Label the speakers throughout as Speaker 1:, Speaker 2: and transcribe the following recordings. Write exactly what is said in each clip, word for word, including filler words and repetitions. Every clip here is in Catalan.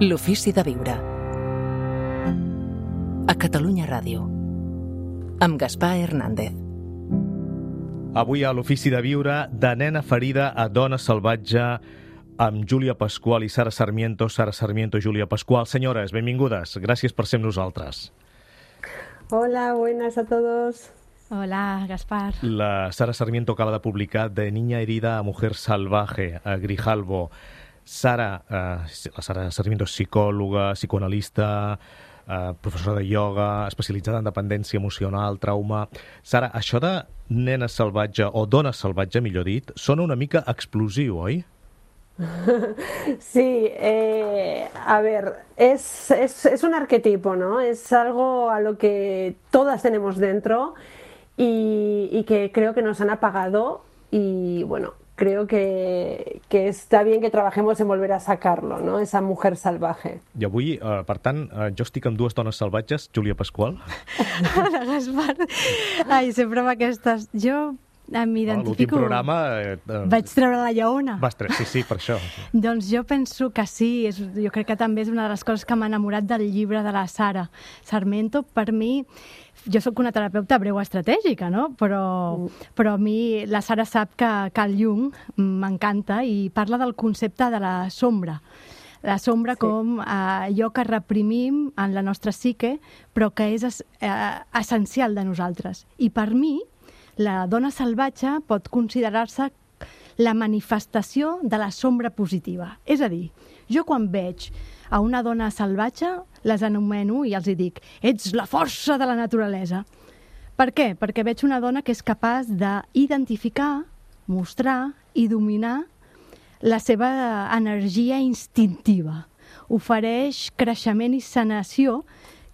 Speaker 1: L'ofici de viure. A Catalunya Ràdio. Amb Gaspar Hernández.
Speaker 2: Avui a l'ofici de viure, de nena ferida a dona salvatge, amb Júlia Pascual i Sara Sarmiento. Sara Sarmiento i Júlia Pascual. Senyores, benvingudes. Gràcies per ser amb nosaltres.
Speaker 3: Hola, buenas a todos.
Speaker 4: Hola, Gaspar.
Speaker 2: La Sara Sarmiento acaba de publicar De niña herida a mujer salvaje, a Grijalbo. Sara, eh, la Sara Sarmiento és psicòloga, psicoanalista, eh, professora de ioga, especialitzada en dependència emocional, trauma. Sara, això de nena salvatge, o dona salvatge, millor dit, sona una mica explosiu, oi?
Speaker 3: Sí, eh, a ver, es, es, es un arquetipo, ¿no? Es algo a lo que todas tenemos dentro y, y que creo que nos han apagado y, bueno, creo que, que està bien que trabajemos en volver a sacarlo, ¿no? Esa mujer salvaje.
Speaker 2: I avui, eh, per tant, eh, jo estic amb dues dones salvatges, Júlia Pascual.
Speaker 4: Hola, Gaspar. Ai, sempre amb aquestes... Jo m'identifico...
Speaker 2: L'últim programa... Eh, eh,
Speaker 4: Vaig treure la lleona.
Speaker 2: Vas tre... Sí, sí, per això.
Speaker 4: Doncs jo penso que sí. És, jo crec que també és una de les coses que m'ha enamorat del llibre de la Sara Sarmiento. Per mi... Jo sóc una terapeuta breu estratègica, no? Però, però a mi la Sara sap que Carl Jung m'encanta i parla del concepte de la sombra. La sombra sí. com eh, allò que reprimim en la nostra psique, però que és eh, essencial de nosaltres. I per mi, la dona salvatge pot considerar-se la manifestació de la sombra positiva. És a dir, jo quan veig a una dona salvatge, les anomeno i els hi dic: ets la força de la naturalesa. Per què? Perquè veig una dona que és capaç d'identificar, mostrar i dominar la seva energia instintiva. Ofereix creixement i sanació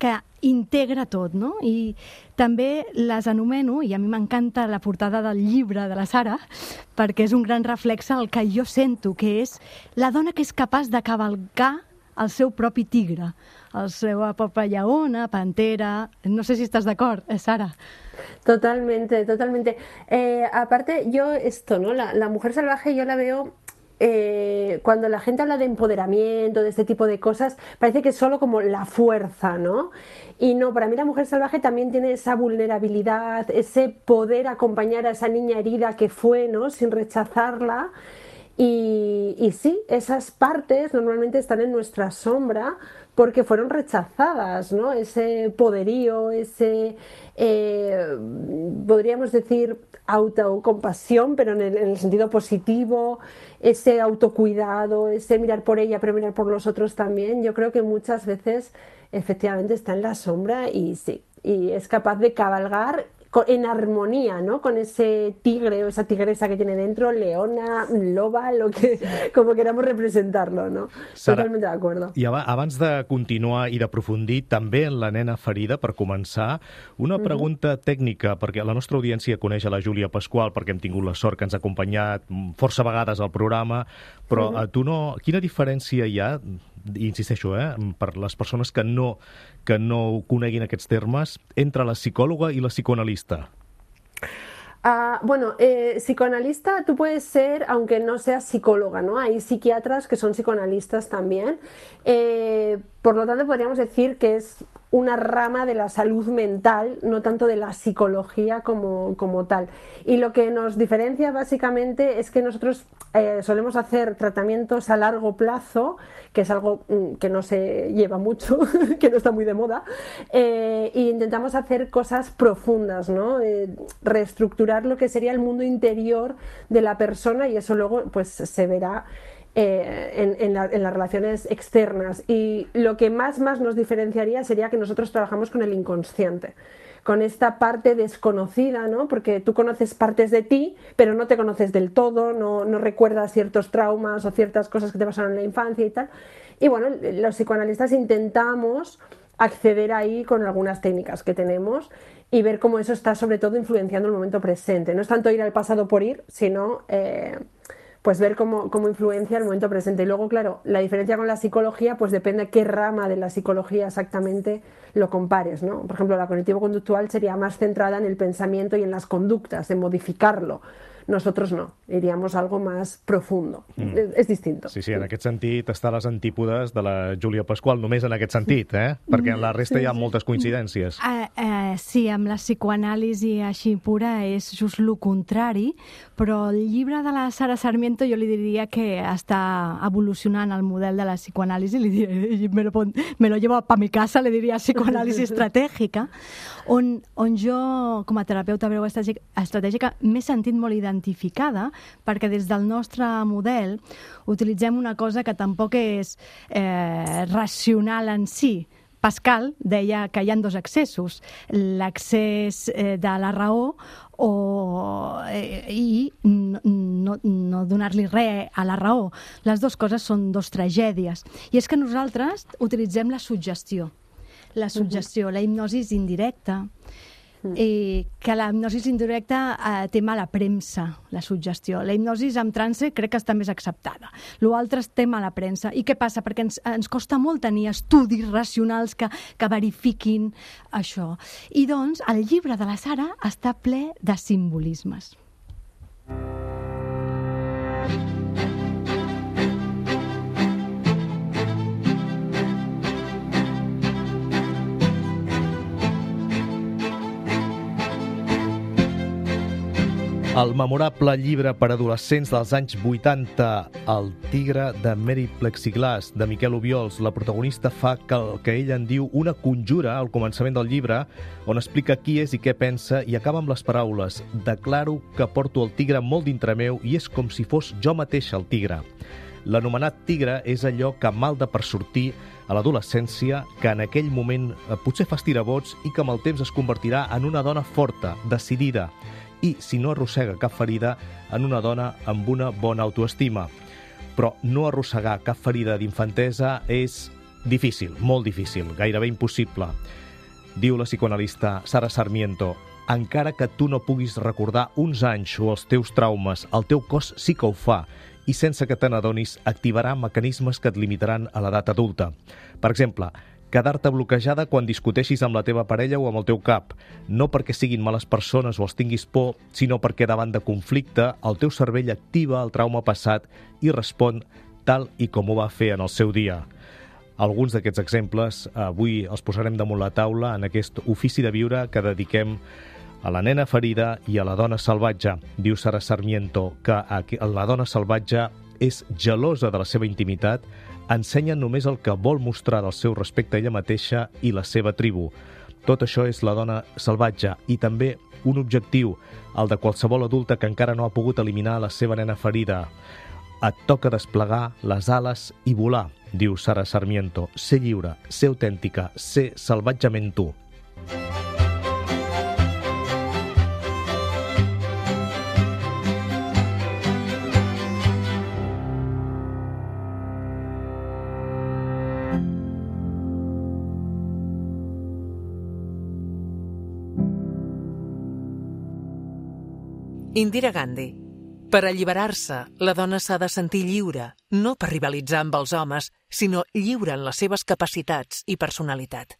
Speaker 4: que integra tot, no? I també les anomeno, i a mi m'encanta la portada del llibre de la Sara, perquè és un gran reflexe del que jo sento, que és la dona que és capaç de cavalcar el seu propi tigre, el seu pròpia lleona, pantera... No sé si estàs d'acord, eh, Sara.
Speaker 3: Totalmente, totalmente. Eh, aparte, yo esto, ¿no? La, la mujer salvaje yo la veo... Eh, cuando la gente habla de empoderamiento, de este tipo de cosas, parece que es solo como la fuerza, ¿no? Y no, para mí la mujer salvaje también tiene esa vulnerabilidad, ese poder acompañar a esa niña herida que fue, ¿no? Sin rechazarla. Y, y sí, esas partes normalmente están en nuestra sombra porque fueron rechazadas, ¿no? Ese poderío, ese, eh, podríamos decir, autocompasión, pero en el, en el sentido positivo, ese autocuidado, ese mirar por ella, pero mirar por los otros también. Yo creo que muchas veces efectivamente está en la sombra y sí, y es capaz de cabalgar en armonía, ¿no? Con ese tigre o esa tigresa que tiene dentro, leona, loba, lo que, como queramos representarlo, ¿no?
Speaker 2: Sara,
Speaker 3: totalment d'acord.
Speaker 2: I abans de continuar i d'aprofundir també en la nena ferida, per començar, una pregunta uh-huh. tècnica, perquè la nostra audiència coneix a la Júlia Pascual, perquè hem tingut la sort que ens ha acompanyat força vegades al programa, però uh-huh. a tu no... Quina diferència hi ha, i insisteixo, eh, per les persones que no, que no coneguin aquests termes, entre la psicòloga i la psicoanalista?
Speaker 3: Uh, bueno, eh, psicoanalista tú puedes ser, aunque no seas psicóloga, ¿no? Hay psiquiatras que son psicoanalistas también. Eh, por lo tanto, podríamos decir que es una rama de la salud mental, no tanto de la psicología como, como tal. Y lo que nos diferencia básicamente es que nosotros eh, solemos hacer tratamientos a largo plazo, que es algo mm, que no se lleva mucho, que no está muy de moda, eh, e intentamos hacer cosas profundas, ¿no? Eh, reestructurar lo que sería el mundo interior de la persona y eso luego pues se verá Eh, en, en, la, en las relaciones externas. Y lo que más, más nos diferenciaría sería que nosotros trabajamos con el inconsciente, con esta parte desconocida, ¿no? Porque tú conoces partes de ti, pero no te conoces del todo, no, no recuerdas ciertos traumas o ciertas cosas que te pasaron en la infancia y tal. Y bueno, los psicoanalistas intentamos acceder ahí con algunas técnicas que tenemos y ver cómo eso está sobre todo influenciando el momento presente. No es tanto ir al pasado por ir, sino... Eh, pues ver cómo, cómo influencia el momento presente. Y luego, claro, la diferencia con la psicología, pues depende de qué rama de la psicología exactamente lo compares, ¿no? Por ejemplo, la cognitivo-conductual sería más centrada en el pensamiento y en las conductas, en modificarlo. Nosotros no, iríamos a algo más profundo. Mm. Es, es distinto.
Speaker 2: Sí, sí, en aquest sentit està a les antípodes de la Júlia Pasqual, només en aquest sentit, eh? Perquè en la resta sí, hi ha moltes coincidències.
Speaker 4: Uh, uh, sí, amb la psicoanàlisi així pura és just el contrari, però el llibre de la Sara Sarmiento jo li diria que està evolucionant el model de la psicoanàlisi, li diria, me, lo, me lo llevo pa mi casa, li diria psicoanàlisi estratègica, on, on jo, com a terapeuta breu estratègica, m'he sentit molt identificada, perquè des del nostre model utilitzem una cosa que tampoc és eh, racional en si. Pascal deia que hi ha dos accessos, l'accés eh, de la raó o, eh, i no, no, no donar-li res a la raó. Les dues coses són dos tragèdies. I és que nosaltres utilitzem la suggestió. La suggestió, uh-huh. la hipnosi indirecta, i que la hipnosi indirecta eh, té mala premsa, la suggestió. La hipnosi amb trance crec que està més acceptada. L'altre té mala premsa. I què passa? Perquè ens, ens costa molt tenir estudis racionals que, que verifiquin això. I doncs el llibre de la Sara està ple de simbolismes.
Speaker 2: El memorable llibre per adolescents dels anys vuitanta, El tigre de Mary Plexiglas, de Miquel Obiols. La protagonista fa que el que ell en diu una conjura al començament del llibre, on explica qui és i què pensa, i acaba amb les paraules: declaro que porto el tigre molt dintre meu i és com si fos jo mateixa el tigre. L'anomenat tigre és allò que malda per sortir a l'adolescència, que en aquell moment potser fa estirabots i que amb el temps es convertirà en una dona forta, decidida, i, si no arrossega cap ferida, en una dona amb una bona autoestima. Però no arrossegar cap ferida d'infantesa és difícil, molt difícil, gairebé impossible. Diu la psicoanalista Sara Sarmiento: encara que tu no puguis recordar uns anys o els teus traumes, el teu cos sí que ho fa, i sense que te n'adonis activarà mecanismes que et limitaran a l'edat adulta. Per exemple, quedar-te bloquejada quan discuteixis amb la teva parella o amb el teu cap, no perquè siguin males persones o els tinguis por, sinó perquè davant de conflicte el teu cervell activa el trauma passat i respon tal i com ho va fer en el seu dia. Alguns d'aquests exemples avui els posarem damunt la taula en aquest ofici de viure que dediquem a la nena ferida i a la dona salvatge. Diu Sara Sarmiento que la dona salvatge és gelosa de la seva intimitat, ensenya només el que vol mostrar del seu respecte a ella mateixa i la seva tribu. Tot això és la dona salvatge i també un objectiu, el de qualsevol adulta que encara no ha pogut eliminar la seva nena ferida. Et toca desplegar les ales i volar, diu Sara Sarmiento. Ser lliure, ser autèntica, ser salvatgement tu.
Speaker 1: Indira Gandhi. Per alliberar-se, la dona s'ha de sentir lliure, no per rivalitzar amb els homes, sinó lliure en les seves capacitats i personalitat.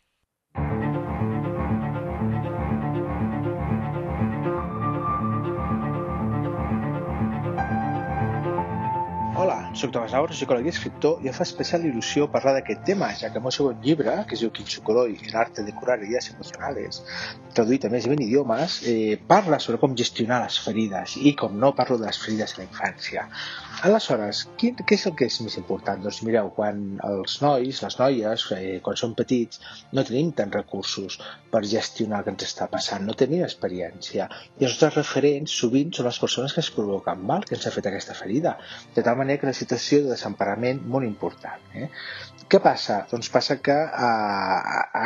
Speaker 5: Hola, soc Tomàs Navarro, psicòleg i escriptor, i em fa especial il·lusió parlar d'aquest tema, ja que el meu segon llibre, que es diu Kinsukuroi, el arte de curar heridas emocionales, traduït a més de vint idiomes, eh, parla sobre com gestionar les ferides i, com no, parlo de les ferides a la infància. Aleshores, què, què és el que és més important? Doncs mireu, quan els nois, les noies, eh, quan són petits, no tenim tants recursos per gestionar el que ens està passant, no tenim experiència. I els nostres referents sovint són les persones que ens provoquen mal, que ens ha fet aquesta ferida, de tal manera que una situació de desemparament molt important. Eh? Què passa? Doncs passa que eh,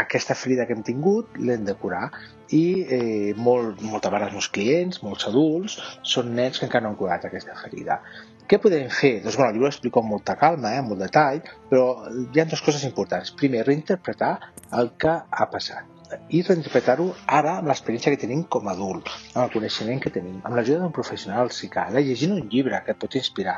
Speaker 5: aquesta ferida que hem tingut l'hem de curar i eh, molt, moltes vegades molts clients, molts adults, són nens que encara no han curat aquesta ferida. Què podem fer? Doncs bueno, el llibre ho explico amb molta calma, eh, amb molt detall, però hi ha dues coses importants. Primer, reinterpretar el que ha passat i reinterpretar-ho ara amb l'experiència que tenim com a adult, amb el coneixement que tenim, amb l'ajuda d'un professional, si cal, llegint un llibre que et pot inspirar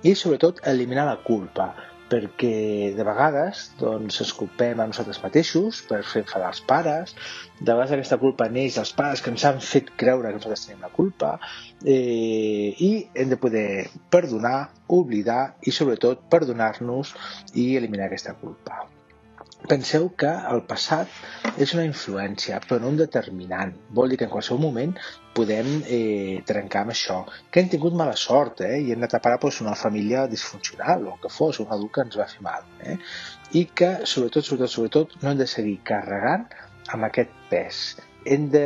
Speaker 5: i, sobretot, eliminar la culpa. perquè de vegades doncs, ens culpem a nosaltres mateixos per fer enfadar els pares, de vegades aquesta culpa neix dels pares que ens han fet creure que nosaltres tenim la culpa, eh, i hem de poder perdonar, oblidar i sobretot perdonar-nos i eliminar aquesta culpa. Penseu que el passat és una influència, però no un determinant. Vol dir que en qualsevol moment podem eh, trencar amb això. Que hem tingut mala sort, eh? I hem anat a parar pues, una família disfuncional, o que fos, un adult que ens va fer mal. Eh? I que, sobretot, sobretot, sobretot, no hem de seguir carregant amb aquest pes. Hem de...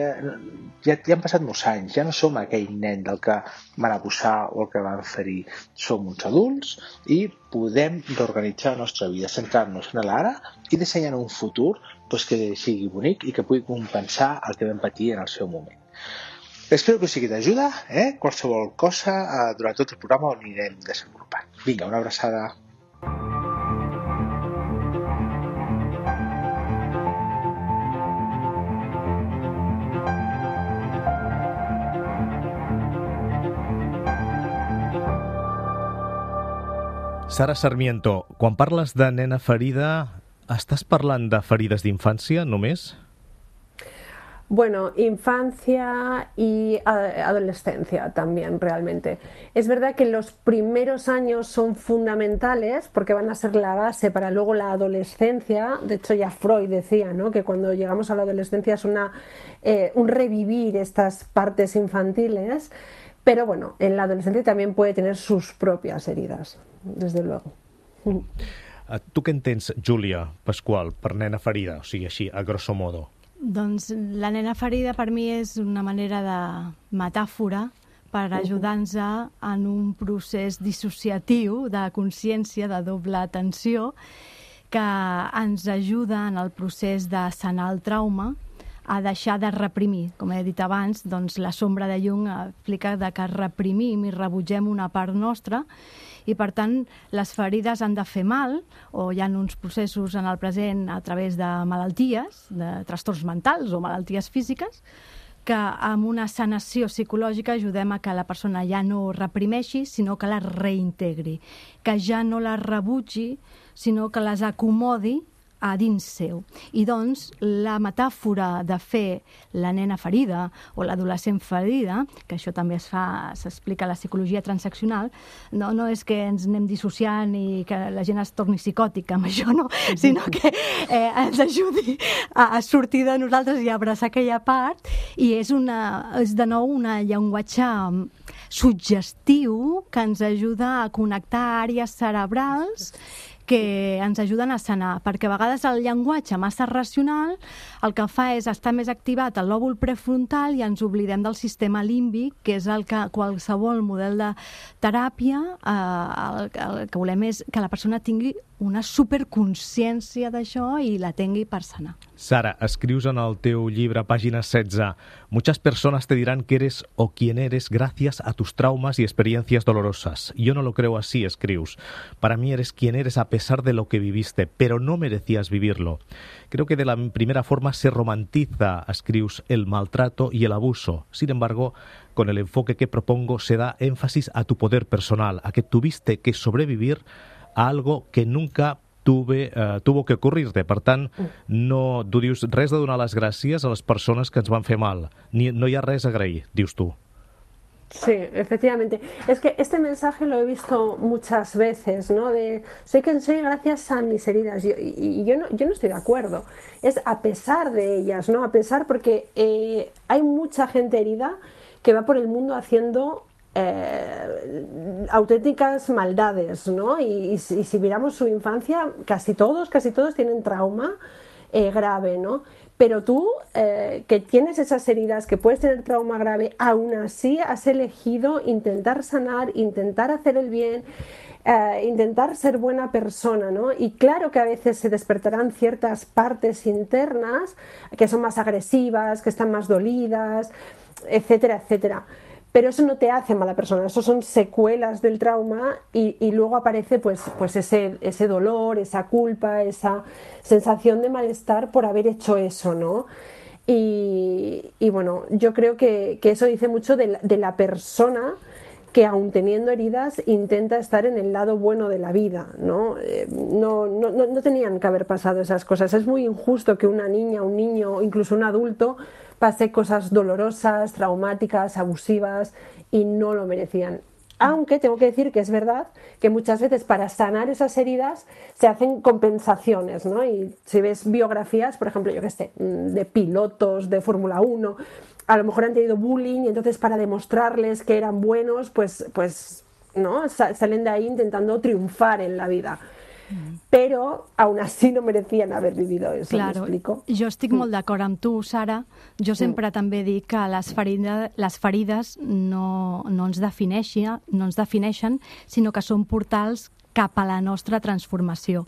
Speaker 5: ja, ja han passat molts anys, ja no som aquell nen del que van abusar o el que van ferir. Som uns adults i podem reorganitzar la nostra vida, centrar-nos en l'ara i dissenyar un futur doncs, que sigui bonic i que pugui compensar el que vam patir en el seu moment. Espero que us sigui d'ajuda, eh? Qualsevol cosa eh, durant tot el programa ho anirem desenvolupant. Vinga, una abraçada.
Speaker 2: Sara Sarmiento, quan parles de nena ferida, estàs parlant de ferides d'infància només?
Speaker 3: Bueno, infancia y adolescencia también realmente. Es verdad que los primeros años son fundamentales porque van a ser la base para luego la adolescencia. De hecho ya Freud decía, ¿no?, que cuando llegamos a la adolescencia es una, eh, un revivir estas partes infantiles, pero bueno, en la adolescencia también puede tener sus propias heridas, desde luego.
Speaker 2: Tu què entens, Júlia Pasqual, per nena ferida? O sigui, així, a grosso modo.
Speaker 4: Doncs la nena ferida per mi és una manera de metàfora per ajudar-nos en un procés dissociatiu de consciència, de doble atenció, que ens ajuda en el procés de sanar el trauma, a deixar de reprimir. Com he dit abans, doncs la sombra de Jung explica de que reprimim i rebutgem una part nostra i, per tant, les ferides han de fer mal, o hi ha uns processos en el present a través de malalties, de trastorns mentals o malalties físiques, que amb una sanació psicològica ajudem a que la persona ja no reprimeixi, sinó que la reintegri, que ja no la rebutgi, sinó que les acomodi a dins seu. I doncs la metàfora de fer la nena ferida o l'adolescent ferida, que això també es fa, s'explica a la psicologia transaccional, no, no és que ens anem dissociant i que la gent es torni psicòtica amb això, no, sinó que eh, ens ajudi a, a sortir de nosaltres i a abraçar aquella part, i és, una, és de nou un llenguatge suggestiu que ens ajuda a connectar àrees cerebrals que ens ajuden a sanar, perquè a vegades el llenguatge massa racional el que fa és estar més activat el lòbul prefrontal i ens oblidem del sistema límbic, que és el que qualsevol model de teràpia eh, el, el que volem és que la persona tingui una superconsciència d'això i la tingui per sanar.
Speaker 2: Sara, escrius en el teu llibre, pàgina setze, muchas personas te dirán que eres o quien eres gracias a tus traumas y experiencias dolorosas. Yo no lo creo así, escrius. Para mí eres quien eres a pesar de lo que viviste, pero no merecías vivirlo. Creo que de la primera forma se romantiza, escrius, el maltrato y el abuso. Sin embargo, con el enfoque que propongo se da énfasis a tu poder personal, a que tuviste que sobrevivir a algo que nunca tuve, uh, tuvo que ocurrir-te. Per tant, no, tu dius res de donar les gràcies a les persones que ens van fer mal. Ni, no hi ha res a agrair, dius tu.
Speaker 3: Sí, efectivamente. Es que este mensaje lo he visto muchas veces, ¿no? De soy quien soy gracias a mis heridas. Y, y, y yo, no, yo no estoy de acuerdo. Es a pesar de ellas, ¿no? A pesar porque eh, hay mucha gente herida que va por el mundo haciendo Eh, auténticas maldades, ¿no? Y, y, si, y si miramos su infancia, casi todos, casi todos tienen trauma eh, grave, ¿no? Pero tú, eh, que tienes esas heridas, que puedes tener trauma grave, aún así has elegido intentar sanar, intentar hacer el bien, eh, intentar ser buena persona, ¿no? Y claro que a veces se despertarán ciertas partes internas que son más agresivas, que están más dolidas, etcétera, etcétera. Pero eso no te hace mala persona, eso son secuelas del trauma y, y luego aparece pues, pues ese, ese dolor, esa culpa, esa sensación de malestar por haber hecho eso, ¿no? Y, y bueno, yo creo que, que eso dice mucho de la, de la persona que aun teniendo heridas intenta estar en el lado bueno de la vida, ¿no? Eh, no, no, no tenían que haber pasado esas cosas. Es muy injusto que una niña, un niño, incluso un adulto pase cosas dolorosas, traumáticas, abusivas y no lo merecían. Aunque tengo que decir que es verdad que muchas veces para sanar esas heridas se hacen compensaciones, ¿no? Y si ves biografías, por ejemplo, yo qué sé, de pilotos de Fórmula uno, a lo mejor han tenido bullying y entonces para demostrarles que eran buenos, pues, pues ¿no? Salen de ahí intentando triunfar en la vida. Però aún así no merecien haver vivido eso,
Speaker 4: claro,
Speaker 3: m'explico?
Speaker 4: Jo estic molt d'acord amb tu, Sara. Jo sempre mm. també dic que les, ferida, les ferides no, no, ens defineixen, no ens defineixen, sinó que són portals cap a la nostra transformació,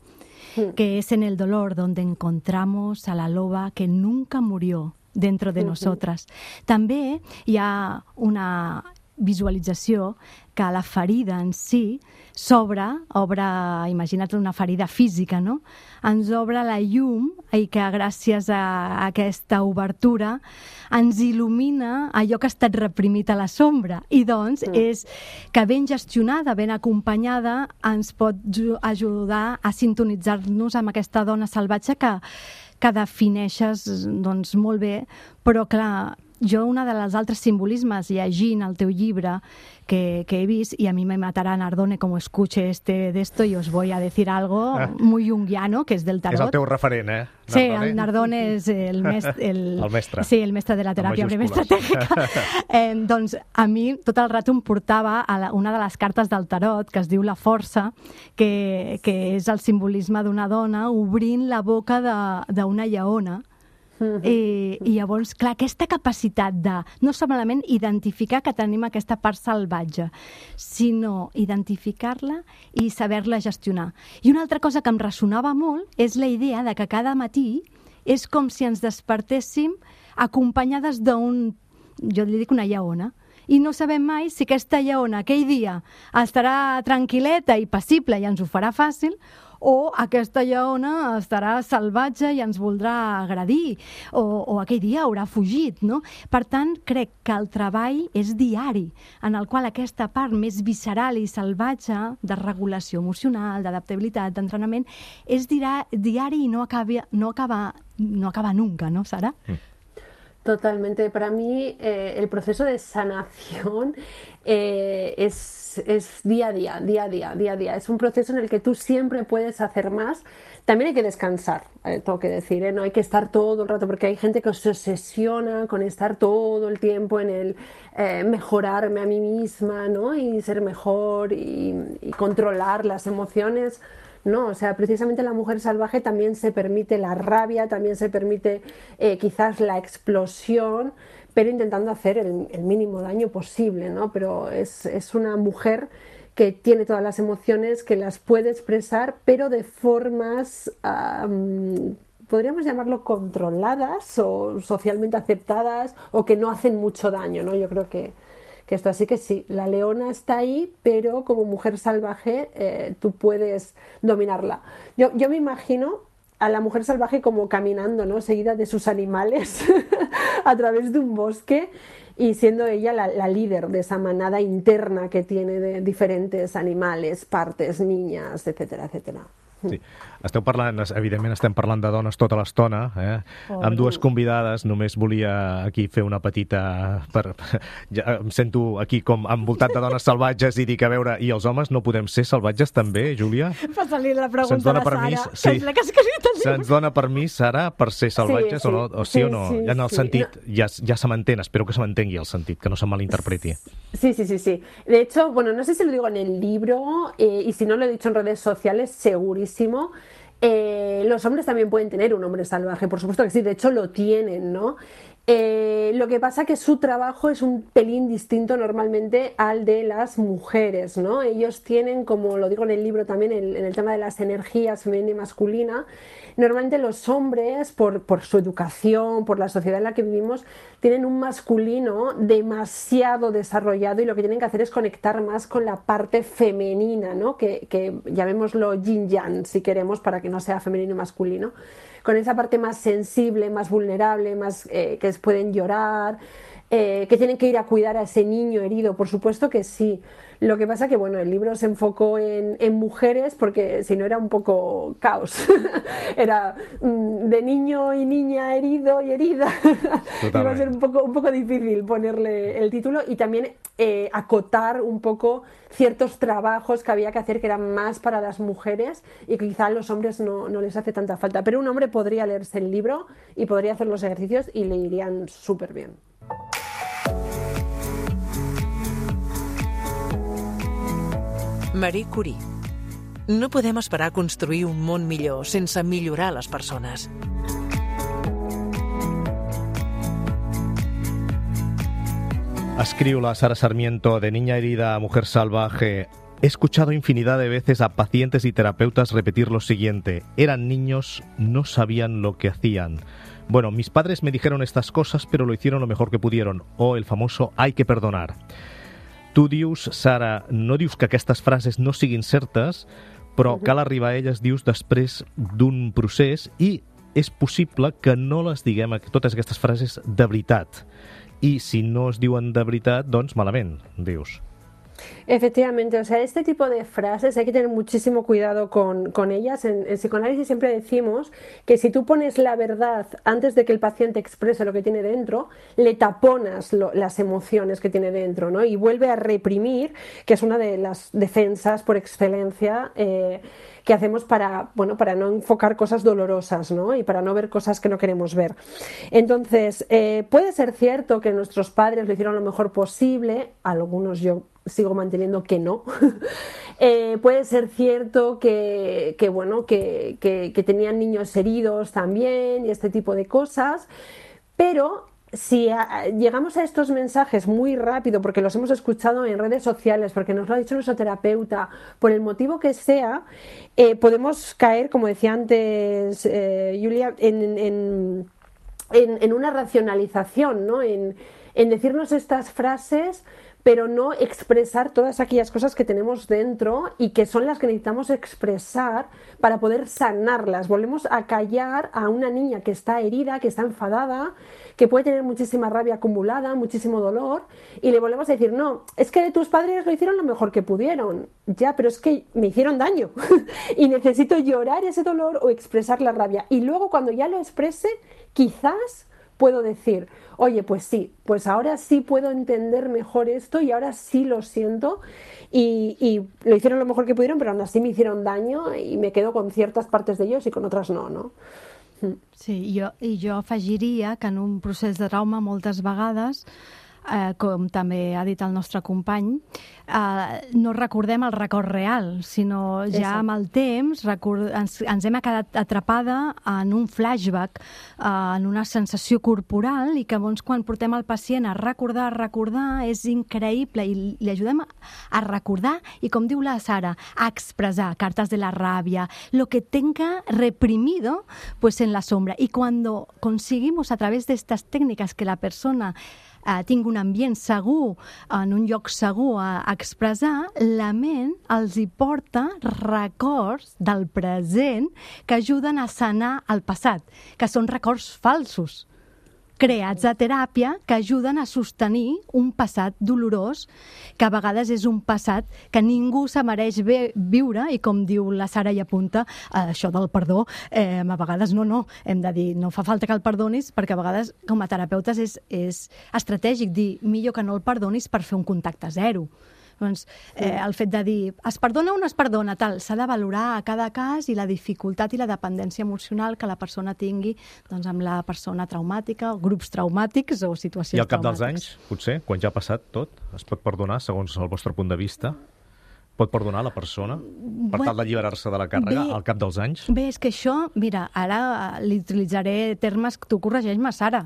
Speaker 4: mm. que és en el dolor donde encontramos a la loba que nunca murió dentro de mm-hmm. nosotras. També hi ha una visualització que la ferida en si s'obre, obre, imagina't una ferida física, no? Ens obre la llum i que gràcies a aquesta obertura ens il·lumina allò que ha estat reprimit a la sombra. I doncs mm. és que ben gestionada, ben acompanyada, ens pot ajudar a sintonitzar-nos amb aquesta dona salvatge que, que defineixes doncs, molt bé, però clar, jo, una de les altres simbolismes, llegint el teu llibre que, que he vist, y a mí me matará Nardone como escuche este de esto, y os voy a decir algo ah. muy junguiano, que és del tarot.
Speaker 2: És el teu referent, eh?
Speaker 4: Nardone. Sí, el Nardone és el, mes, el,
Speaker 2: el mestre.
Speaker 4: Sí, el mestre de la teràpia breve estratègica. eh, doncs a mi tot el rato em portava a la, una de les cartes del tarot, que es diu La Força, que, que és el simbolisme d'una dona obrint la boca d'una lleona. I, i llavors, clar, aquesta capacitat de no solament identificar que tenim aquesta part salvatge, sinó identificar-la i saber-la gestionar. I una altra cosa que em ressonava molt és la idea de que cada matí és com si ens despertéssim acompanyades d'un, jo li dic una lleona, i no sabem mai si aquesta lleona aquell dia estarà tranquil·leta i passible i ens ho farà fàcil, o aquesta lleona estarà salvatge i ens voldrà agredir, o, o aquell dia haurà fugit, no? Per tant, crec que el treball és diari, en el qual aquesta part més visceral i salvatge de regulació emocional, d'adaptabilitat, d'entrenament, és diari i no acaba, no acaba, no acaba nunca, ¿no, Sara? Mm.
Speaker 3: Totalmente. Para mí eh, el proceso de sanación eh, es, es día a día, día a día, día a día. Es un proceso en el que tú siempre puedes hacer más. También hay que descansar, eh, tengo que decir, ¿eh? No hay que estar todo el rato, porque hay gente que se obsesiona con estar todo el tiempo en el eh, mejorarme a mí misma, ¿no? Y ser mejor y, y controlar las emociones. No, o sea, precisamente la mujer salvaje también se permite la rabia, también se permite eh, quizás la explosión, pero intentando hacer el, el mínimo daño posible, ¿no? Pero es, es una mujer que tiene todas las emociones, que las puede expresar, pero de formas, um, podríamos llamarlo controladas o socialmente aceptadas, o que no hacen mucho daño, ¿no? Yo creo que que esto, así que sí, la leona está ahí, pero como mujer salvaje eh, tú puedes dominarla. Yo, yo me imagino a la mujer salvaje como caminando, ¿no? Seguida de sus animales a través de un bosque y siendo ella la, la líder de esa manada interna que tiene de diferentes animales, partes, niñas, etcétera, etcétera.
Speaker 2: Sí. Esteu parlant, evidentment estem parlant de dones tota l'estona, eh? Oh, amb dues convidades. Només volia aquí fer una petita... Per... Ja em sento aquí com envoltat de dones salvatges i dic, a veure, i els homes no podem ser salvatges també, Júlia?
Speaker 4: Passa-li la pregunta a la Sara,
Speaker 2: permís,
Speaker 4: que
Speaker 2: sí.
Speaker 4: és la que ha escrit el llibre.
Speaker 2: Se'ns dona permís, Sara, per ser salvatges
Speaker 3: sí, sí.
Speaker 2: o no? O sí,
Speaker 3: sí
Speaker 2: o no?
Speaker 3: Sí,
Speaker 2: ja en el
Speaker 3: sí.
Speaker 2: sentit,
Speaker 3: No.
Speaker 2: ja, ja se m'entén, espero que se m'entengui el sentit, que no se malinterpreti.
Speaker 3: Sí, sí, sí, sí. De hecho, bueno, no sé si lo digo en el libro eh, y si no lo he dicho en redes sociales, segurísimo. Eh, los hombres también pueden tener un hombre salvaje, por supuesto que sí, de hecho lo tienen, ¿no? Eh, lo que pasa que su trabajo es un pelín distinto normalmente al de las mujeres, ¿no? Ellos tienen, como lo digo en el libro también, en, en el tema de las energías femenina y masculina, normalmente los hombres, por, por su educación, por la sociedad en la que vivimos, tienen un masculino demasiado desarrollado y lo que tienen que hacer es conectar más con la parte femenina, ¿no? Que, que llamémoslo yin-yang, si queremos, para que no sea femenino y masculino, con esa parte más sensible, más vulnerable, más eh, que pueden llorar, eh, que tienen que ir a cuidar a ese niño herido, por supuesto que sí. Lo que pasa que, bueno, el libro se enfocó en, en mujeres porque si no era un poco caos. Era mm, de niño y niña herido y herida. Iba a ser un poco, un poco difícil ponerle el título y también eh, acotar un poco ciertos trabajos que había que hacer que eran más para las mujeres y que quizá a los hombres no, no les hace tanta falta. Pero un hombre podría leerse el libro y podría hacer los ejercicios y le irían súper bien.
Speaker 1: Marie Curie. No podem esperar a construir un món millor sense millorar les persones.
Speaker 2: Escriu la Sara Sarmiento, de niña herida a mujer salvaje. He escuchado infinidad de veces a pacientes y terapeutas repetir lo siguiente: eran niños, no sabían lo que hacían. Bueno, mis padres me dijeron estas cosas, pero lo hicieron lo mejor que pudieron. O el famoso hay que perdonar. Tu dius, Sara, no dius que aquestes frases no siguin certes, però cal arribar a elles, dius, després d'un procés i és possible que no les diguem, totes aquestes frases, de veritat. I si no es diuen de veritat, doncs malament, dius.
Speaker 3: Efectivamente, o sea, este tipo de frases hay que tener muchísimo cuidado con, con ellas. En, en psicoanálisis siempre decimos que si tú pones la verdad antes de que el paciente exprese lo que tiene dentro, le taponas lo, las emociones que tiene dentro, ¿no? Y vuelve a reprimir, que es una de las defensas por excelencia eh, que hacemos para, bueno, para no enfocar cosas dolorosas, ¿no? Y para no ver cosas que no queremos ver. Entonces, eh, puede ser cierto que nuestros padres lo hicieron lo mejor posible, algunos yo sigo manteniendo que no. eh, puede ser cierto que, que, bueno, que, que, que tenían niños heridos también y este tipo de cosas, pero si a, llegamos a estos mensajes muy rápido, porque los hemos escuchado en redes sociales, porque nos lo ha dicho nuestro terapeuta, por el motivo que sea, eh, podemos caer, como decía antes eh, Julia, en, en, en, en una racionalización, ¿no? En, en decirnos estas frases, pero no expresar todas aquellas cosas que tenemos dentro y que son las que necesitamos expresar para poder sanarlas. Volvemos a callar a una niña que está herida, que está enfadada, que puede tener muchísima rabia acumulada, muchísimo dolor, y le volvemos a decir, no, es que tus padres lo hicieron lo mejor que pudieron. Ya, pero es que me hicieron daño y necesito llorar ese dolor o expresar la rabia. Y luego cuando ya lo exprese, quizás puedo decir, oye, pues sí, pues ahora sí puedo entender mejor esto y ahora sí lo siento y, y lo hicieron lo mejor que pudieron, pero aún así me hicieron daño y me quedo con ciertas partes de ellos y con otras no, no?
Speaker 4: Sí, jo, i jo afegiria que en un procés de trauma moltes vegades, eh, com també ha dit el nostre company, eh, no recordem el record real, sinó ja Exacte. Amb el temps record, ens, ens hem quedat atrapada en un flashback, eh, en una sensació corporal, i que llavors quan portem el pacient a recordar, a recordar, és increïble, i li ajudem a recordar i, com diu la Sara, a expresar cartas de la rabia, lo que tenga reprimido pues en la sombra. Y cuando conseguimos a través de estas técnicas que la persona Uh, tingui un ambient segur, en un lloc segur a, a expressar, la ment els hi porta records del present que ajuden a sanar el passat, que són records falsos, creats a teràpia, que ajuden a sostenir un passat dolorós, que a vegades és un passat que ningú se mereix viure, i com diu la Sara i apunta, eh, això del perdó, eh, a vegades no, no, hem de dir, no fa falta que el perdonis, perquè a vegades com a terapeutes és, és estratègic dir, millor que no el perdonis per fer un contacte zero. Doncs, eh, el fet de dir, es perdona o no es perdona, tal, s'ha de valorar a cada cas i la dificultat i la dependència emocional que la persona tingui doncs, amb la persona traumàtica, grups traumàtics o situacions traumàtiques.
Speaker 2: I al cap dels anys, potser, quan ja ha passat tot, es pot perdonar, segons el vostre punt de vista? Pot perdonar la persona per tal d'alliberar-se de la càrrega bé, al cap dels anys?
Speaker 4: Bé, és que això, mira, ara li utilitzaré termes, tu corregeix-me, Sara,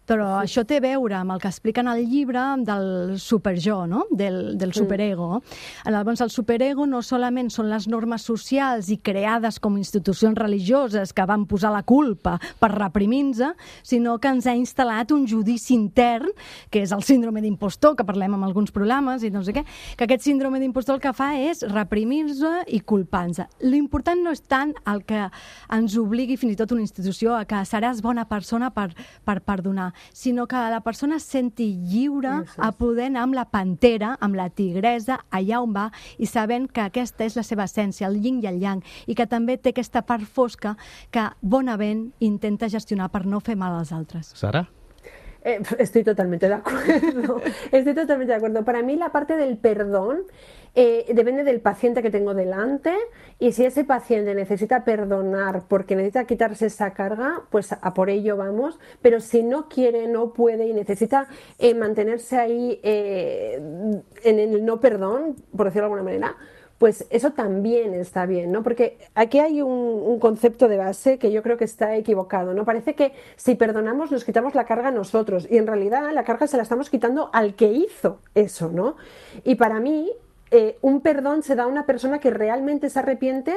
Speaker 4: però sí. Això té a veure amb el que expliquen al llibre del superjo, no? del, del superego. Sí. Llavors, el superego no solament són les normes socials i creades com institucions religioses que van posar la culpa per reprimir-nos, sinó que ens ha instal·lat un judici intern, que és el síndrome d'impostor, que parlem en alguns programes i no sé què, que aquest síndrome d'impostor el que fa és reprimir-se i culpar-se. L'important no és tant el que ens obligui fins i tot una institució a que seràs bona persona per, per perdonar, sinó que la persona es senti lliure a poder anar amb la pantera, amb la tigresa, allà on va, i sabent que aquesta és la seva essència, el yin i el yang, i que també té aquesta part fosca que bonament intenta gestionar per no fer mal als altres.
Speaker 2: Sara?
Speaker 3: Eh, estoy totalmente de acuerdo, estoy totalmente de acuerdo. Para mí la parte del perdón eh, depende del paciente que tengo delante, y si ese paciente necesita perdonar porque necesita quitarse esa carga, pues a por ello vamos, pero si no quiere, no puede y necesita eh, mantenerse ahí eh, en el no perdón, por decirlo de alguna manera, pues eso también está bien, ¿no? Porque aquí hay un, un concepto de base que yo creo que está equivocado, ¿no? Parece que si perdonamos nos quitamos la carga a nosotros, y en realidad la carga se la estamos quitando al que hizo eso, ¿no? Y para mí, eh, un perdón se da a una persona que realmente se arrepiente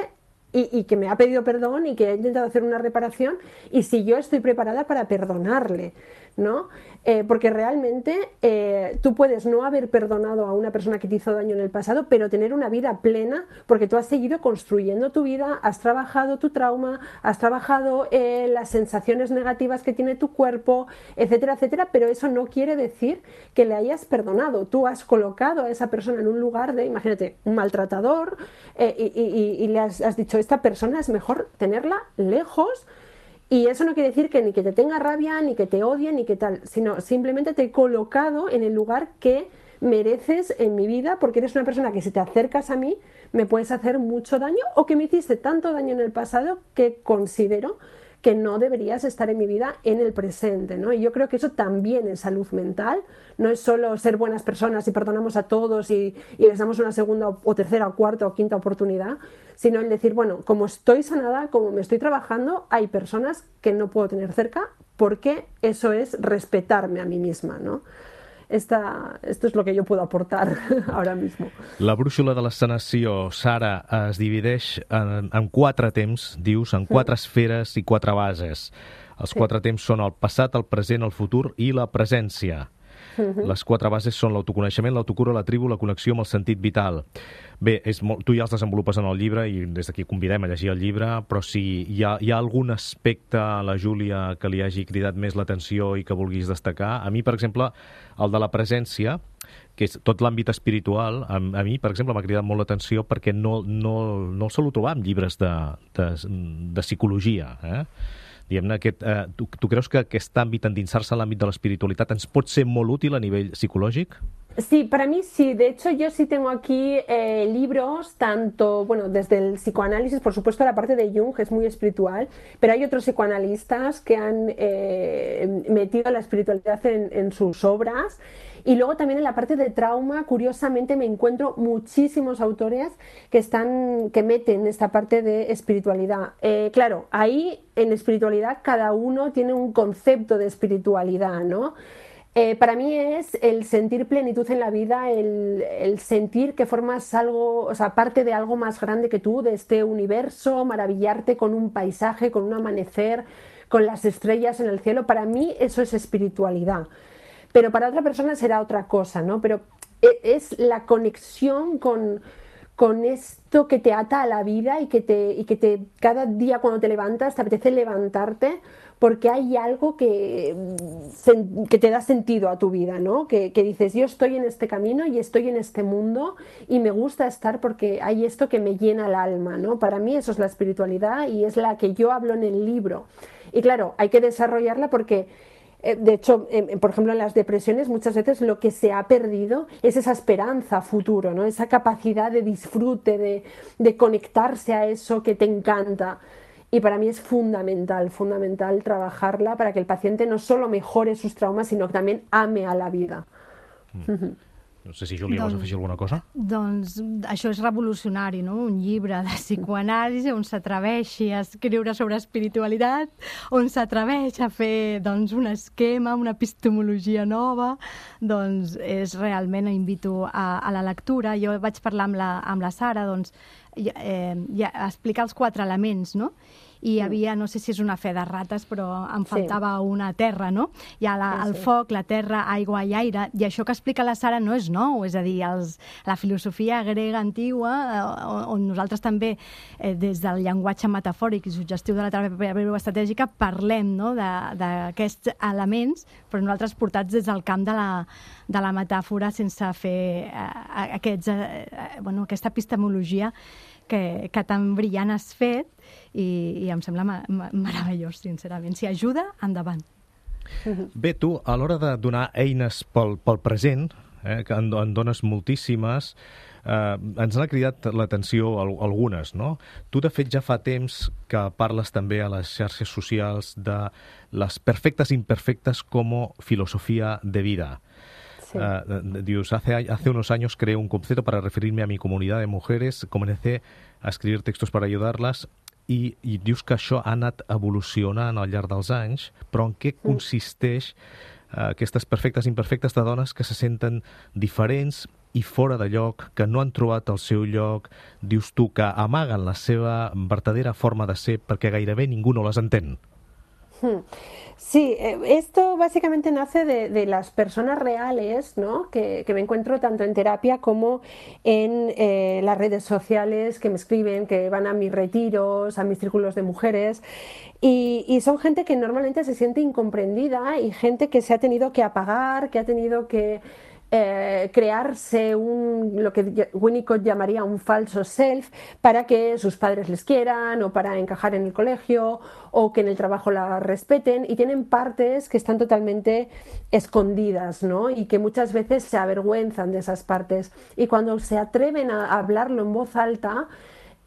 Speaker 3: y, y que me ha pedido perdón y que ha intentado hacer una reparación, y si yo estoy preparada para perdonarle, ¿no? Eh, porque realmente eh, tú puedes no haber perdonado a una persona que te hizo daño en el pasado, pero tener una vida plena porque tú has seguido construyendo tu vida, has trabajado tu trauma, has trabajado eh, las sensaciones negativas que tiene tu cuerpo, etcétera, etcétera, pero eso no quiere decir que le hayas perdonado. Tú has colocado a esa persona en un lugar de, imagínate, un maltratador, eh, y, y, y le has, has dicho, esta persona es mejor tenerla lejos. Y eso no quiere decir que ni que te tenga rabia, ni que te odie, ni que tal, sino simplemente te he colocado en el lugar que mereces en mi vida, porque eres una persona que si te acercas a mí me puedes hacer mucho daño, o que me hiciste tanto daño en el pasado que considero que no deberías estar en mi vida en el presente, ¿no? Y yo creo que eso también es salud mental, no es solo ser buenas personas y perdonamos a todos y, y les damos una segunda o tercera o cuarta o quinta oportunidad, sino el decir, bueno, como estoy sanada, como me estoy trabajando, hay personas que no puedo tener cerca, porque eso es respetarme a mí misma, ¿no? Esta, esto es lo que yo puedo aportar ahora mismo.
Speaker 2: La brúixola de la sanació, Sara, es divideix en, en quatre temps, dius, en quatre esferes i quatre bases. Els
Speaker 3: Sí.
Speaker 2: quatre temps són el passat, el present, el futur i la presència. Les quatre bases són l'autoconeixement, l'autocura, la tribu, la connexió amb el sentit vital. Bé, és molt, tu ja els desenvolupes en el llibre i des d'aquí convidem a llegir el llibre, però si hi ha, hi ha algun aspecte a la Júlia que li hagi cridat més l'atenció i que vulguis destacar, a mi, per exemple, el de la presència, que és tot l'àmbit espiritual, a, a mi, per exemple, m'ha cridat molt l'atenció perquè no, no, no el solo trobar en llibres de, de, de psicologia, eh? Diguem-ne, aquest, eh, tu, tu creus que aquest àmbit, endinsar-se a l'àmbit de l'espiritualitat, ens pot ser molt útil a nivell psicològic?
Speaker 3: Sí, para mí sí. De hecho, yo sí tengo aquí eh, libros, tanto, bueno, desde el psicoanálisis, por supuesto, la parte de Jung es muy espiritual, pero hay otros psicoanalistas que han eh, metido la espiritualidad en, en sus obras. Y luego también en la parte de trauma, curiosamente, me encuentro muchísimos autores que están, que meten esta parte de espiritualidad. Eh, claro, ahí en espiritualidad cada uno tiene un concepto de espiritualidad, ¿no? Eh, para mí es el sentir plenitud en la vida, el, el sentir que formas algo, o sea, parte de algo más grande que tú, de este universo, maravillarte con un paisaje, con un amanecer, con las estrellas en el cielo. Para mí eso es espiritualidad. Pero para otra persona será otra cosa, ¿no? Pero es la conexión con, con esto que te ata a la vida y que, te, y que te, cada día cuando te levantas te apetece levantarte porque hay algo que, que te da sentido a tu vida, ¿no? Que, que dices, yo estoy en este camino y estoy en este mundo y me gusta estar porque hay esto que me llena el alma, ¿no? Para mí eso es la espiritualidad y es la que yo hablo en el libro. Y claro, hay que desarrollarla porque... De hecho, por ejemplo, en las depresiones muchas veces lo que se ha perdido es esa esperanza a futuro, ¿no? Esa capacidad de disfrute, de, de conectarse a eso que te encanta. Y para mí es fundamental, fundamental trabajarla para que el paciente no solo mejore sus traumas, sino que también ame a la vida.
Speaker 2: Mm. No sé si, Júlia, vols afegir alguna cosa?
Speaker 4: Doncs això és revolucionari, no? Un llibre de psicoanàlisi on s'atreveixi a escriure sobre espiritualitat, on s'atreveix a fer doncs, un esquema, una epistemologia nova, doncs és realment, invito a, a la lectura. Jo vaig parlar amb la, amb la Sara, doncs, eh, ja, explicar els quatre elements, no? i hi havia, no sé si és una fe de rates, però em faltava sí. una terra, no? Hi ha la, sí, sí. el foc, la terra, aigua i aire, i això que explica la Sara no és nou, és a dir, els, la filosofia grega antigua, eh, on nosaltres també, eh, des del llenguatge metafòric i suggestiu de la teràpia breu estratègica, parlem, no?, d'aquests elements, però nosaltres portats des del camp de la, de la metàfora sense fer eh, aquests, eh, bueno, aquesta epistemologia que, que tan brillant has fet i, i em sembla ma ma meravellós, sincerament. Si ajuda, endavant.
Speaker 2: Bé, tu, a l'hora de donar eines pel, pel present, eh, que en, en dones moltíssimes, eh, ens han cridat l'atenció algunes, no? Tu, de fet, ja fa temps que parles també a les xarxes socials de les perfectes imperfectes com filosofía de vida. Sí. Uh, dius, hace, hace unos años creé un concepto para referirme a mi comunidad de mujeres, comencé a escribir textos para ayudarlas i, i dius que això ha anat evolucionant al llarg dels anys, però en què consisteix uh, aquestes perfectes imperfectes de dones que se senten diferents i fora de lloc, que no han trobat el seu lloc, dius tu, que amaguen la seva verdadera forma de ser perquè gairebé ningú no les entén?
Speaker 3: Sí, esto básicamente nace de, de las personas reales, ¿no?, que, que me encuentro tanto en terapia como en eh, las redes sociales, que me escriben, que van a mis retiros, a mis círculos de mujeres, y, y son gente que normalmente se siente incomprendida y gente que se ha tenido que apagar, que ha tenido que Eh, crearse un, lo que Winnicott llamaría un falso self para que sus padres les quieran o para encajar en el colegio o que en el trabajo la respeten, y tienen partes que están totalmente escondidas, ¿no?, y que muchas veces se avergüenzan de esas partes, y cuando se atreven a hablarlo en voz alta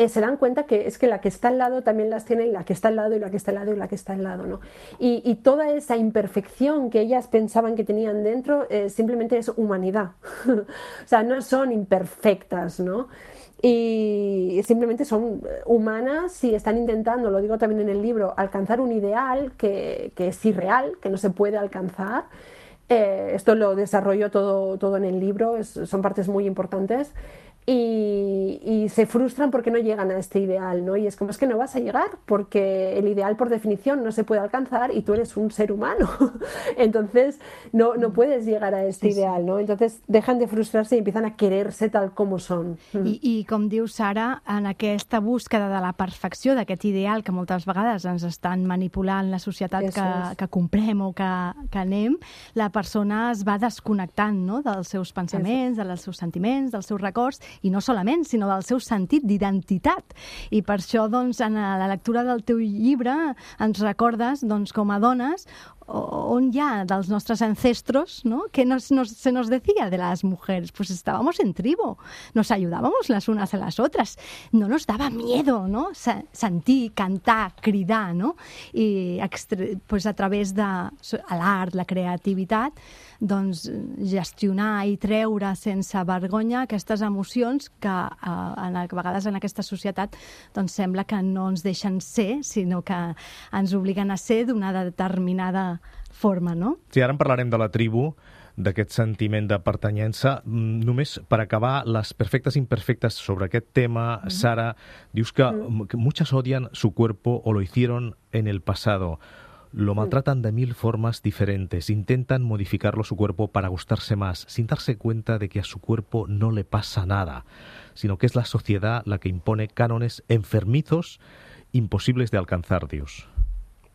Speaker 3: Eh, se dan cuenta que es que la que está al lado también las tiene, y la que está al lado, y la que está al lado, y la que está al lado, ¿no? Y, y toda esa imperfección que ellas pensaban que tenían dentro eh, simplemente es humanidad. O sea, no son imperfectas, ¿no? Y simplemente son humanas y están intentando, lo digo también en el libro, alcanzar un ideal que, que es irreal, que no se puede alcanzar. Eh, esto lo desarrollo todo, todo en el libro, es, son partes muy importantes. Y, y se frustran porque no llegan a este ideal, ¿no? Y es como, es que no vas a llegar porque el ideal por definición no se puede alcanzar y tú eres un ser humano. Entonces no, no puedes llegar a este sí, ideal, ¿no? Entonces dejan de frustrarse y empiezan a quererse tal como són.
Speaker 4: I, i com diu Sara, en aquesta búsqueda de la perfecció, d'aquest ideal que moltes vegades ens estan manipulant la societat que, que comprem o que, que anem, la persona es va desconnectant, no?, dels seus pensaments, dels seus sentiments, dels seus records, i no solament, sinó del seu sentit d'identitat. I per això, doncs, en la lectura del teu llibre ens recordes, doncs, com a dones, on ya de los nuestros ancestros, ¿no?, que nos, nos, se nos decía de las mujeres, pues estábamos en tribu, nos ayudábamos las unas a las otras, no nos daba miedo, ¿no?, sentir, cantar, cridar, ¿no?, i pues a través de l'art, la creativitat, doncs gestionar i treure sense vergonya aquestes emocions que a, a vegades en aquesta societat doncs sembla que no ens deixen ser, sinó que ens obliguen a ser d'una determinada forma, no?
Speaker 2: Sí, ara en parlarem de la tribu, d'aquest sentiment de pertanyença. Només per acabar, les perfectes imperfectes sobre aquest tema, mm. Sara, dius que, mm. que muchas odian su cuerpo o lo hicieron en el pasado. Lo maltratan de mil formas diferentes, intentan modificarlo su cuerpo para gustarse más, sin darse cuenta de que a su cuerpo no le pasa nada, sino que es la sociedad la que impone cánones enfermizos imposibles de alcanzar, Dios.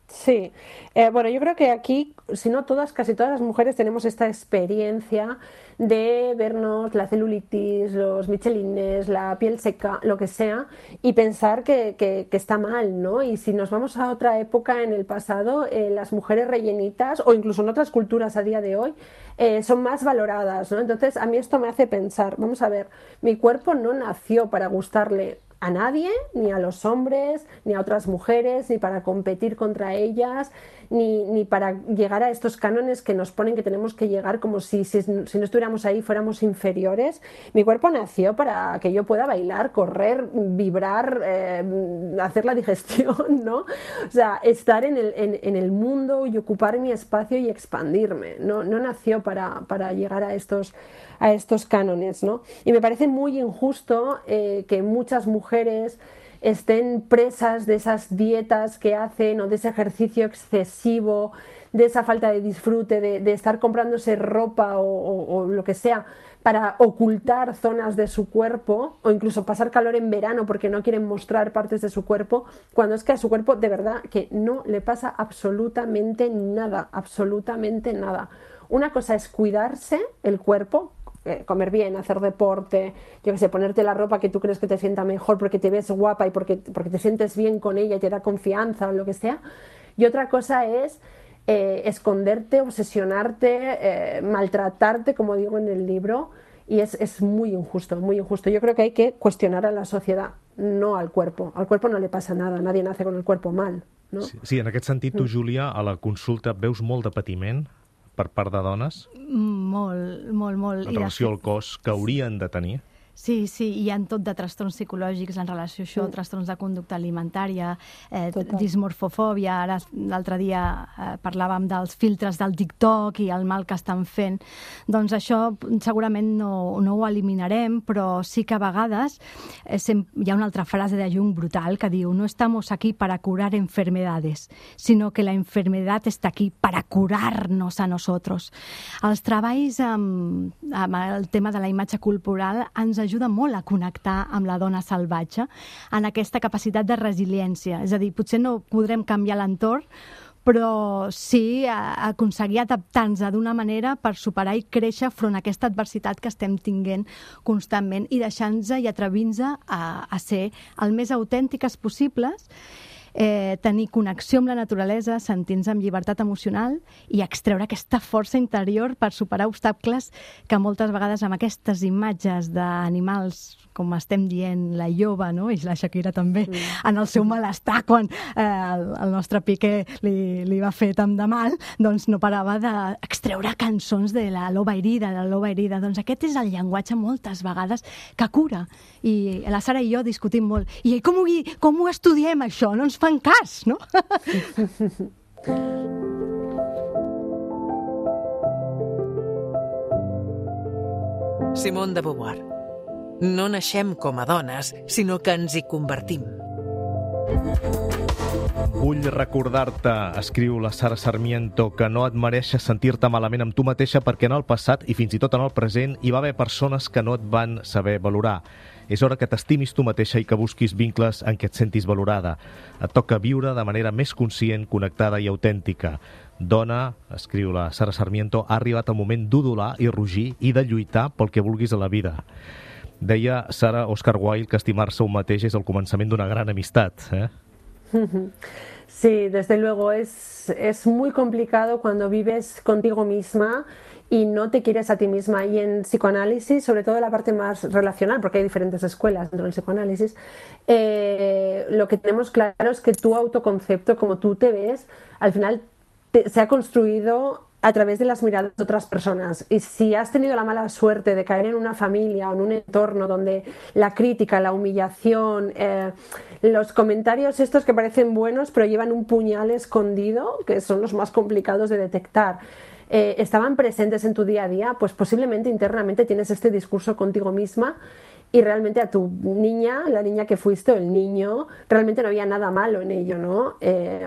Speaker 3: Sí, eh, bueno, yo creo que aquí, si no todas, casi todas las mujeres tenemos esta experiencia de vernos la celulitis, los michelines, la piel seca, lo que sea, y pensar que, que, que está mal, ¿no? Y si nos vamos a otra época en el pasado, eh, las mujeres rellenitas, o incluso en otras culturas a día de hoy, eh, son más valoradas, ¿no? Entonces, a mí esto me hace pensar, vamos a ver, mi cuerpo no nació para gustarle a nadie, ni a los hombres, ni a otras mujeres, ni para competir contra ellas, ni, ni para llegar a estos cánones que nos ponen que tenemos que llegar como si, si, si no estuviéramos ahí fuéramos inferiores. Mi cuerpo nació para que yo pueda bailar, correr, vibrar, eh, hacer la digestión, ¿no? O sea, estar en el, en, en el mundo y ocupar mi espacio y expandirme. No, no nació para, para llegar a estos, a estos cánones, ¿no? Y me parece muy injusto eh, que muchas mujeres estén presas de esas dietas que hacen o de ese ejercicio excesivo, de esa falta de disfrute, de, de estar comprándose ropa o, o, o lo que sea para ocultar zonas de su cuerpo o incluso pasar calor en verano porque no quieren mostrar partes de su cuerpo, cuando es que a su cuerpo de verdad que no le pasa absolutamente nada, absolutamente nada. Una cosa es cuidarse el cuerpo, eh, comer bien, hacer deporte, yo que sé, ponerte la ropa que tú crees que te sienta mejor porque te ves guapa y porque, porque te sientes bien con ella y te da confianza o lo que sea. Y otra cosa es Eh, esconderte, obsesionarte, eh, maltratarte, como digo en el libro, y es, es muy injusto, muy injusto. Yo creo que hay que cuestionar a la sociedad, no al cuerpo. Al cuerpo no le pasa nada, nadie nace con el cuerpo mal, no?
Speaker 2: Sí, sí, en aquest sentit, tu, Júlia, a la consulta veus molt de patiment per part de dones
Speaker 4: Molt, molt, molt.
Speaker 2: en relació al cos que haurien de tenir?
Speaker 4: Sí, sí, hi ha tot de trastorns psicològics en relació a això, mm. trastorns de conducta alimentària, eh, dismorfofòbia. Ara, l'altre dia eh, parlàvem dels filtres del TikTok i el mal que estan fent. Doncs això segurament no, no ho eliminarem, però sí que a vegades eh, sem- hi ha una altra frase de Jung brutal que diu: no estamos aquí para curar enfermedades, sino que la enfermedad está aquí para curarnos a nosotros. Els treballs amb, amb el tema de la imatge corporal ens ajuda molt a connectar amb la dona salvatge en aquesta capacitat de resiliència. És a dir, potser no podrem canviar l'entorn, però sí aconseguir adaptar-nos d'una manera per superar i créixer front a aquesta adversitat que estem tinguent constantment i deixar-nos i atrevir-nos a, a ser el més autèntiques possibles, eh, tenir connexió amb la naturalesa, sentir-nos amb llibertat emocional i extreure aquesta força interior per superar obstacles que moltes vegades amb aquestes imatges d'animals, com estem dient, la lloba, no? I la Shakira també, mm. en el seu malestar quan eh, el, el nostre Piqué li, li va fer tant de mal, doncs no parava d'extreure cançons de la loba herida, de la loba herida. Doncs aquest és el llenguatge moltes vegades que cura. I la Sara i jo discutim molt. I com ho, com ho estudiem, això? No ens fan cas, no?
Speaker 1: Simone de Beauvoir. No naixem com a dones, sinó que ens hi convertim.
Speaker 2: Vull recordar-te, escriu la Sara Sarmiento, que no et mereixes sentir-te malament amb tu mateixa perquè en el passat i fins i tot en el present hi va haver persones que no et van saber valorar. És hora que t'estimis tu mateixa i que busquis vincles en què et sentis valorada. Et toca viure de manera més conscient, connectada i autèntica. Dona, escriu la Sara Sarmiento, ha arribat el moment d'udolar i rugir i de lluitar pel que vulguis a la vida. Deia Sara Oscar Wilde que estimar-se un mateix és el començament d'una gran amistat, eh?
Speaker 3: Sí, desde luego es, es muy complicado cuando vives contigo misma y no te quieres a ti misma. Y en psicoanálisis, sobre todo la parte más relacional, porque hay diferentes escuelas dentro del psicoanálisis, eh, lo que tenemos claro es que tu autoconcepto, como tú te ves, al final te, se ha construido a través de las miradas de otras personas. Y si has tenido la mala suerte de caer en una familia o en un entorno donde la crítica, la humillación, eh, los comentarios estos que parecen buenos pero llevan un puñal escondido, que son los más complicados de detectar, eh, estaban presentes en tu día a día, pues posiblemente internamente tienes este discurso contigo misma y realmente a tu niña, la niña que fuiste o el niño, realmente no había nada malo en ello, ¿no? Eh,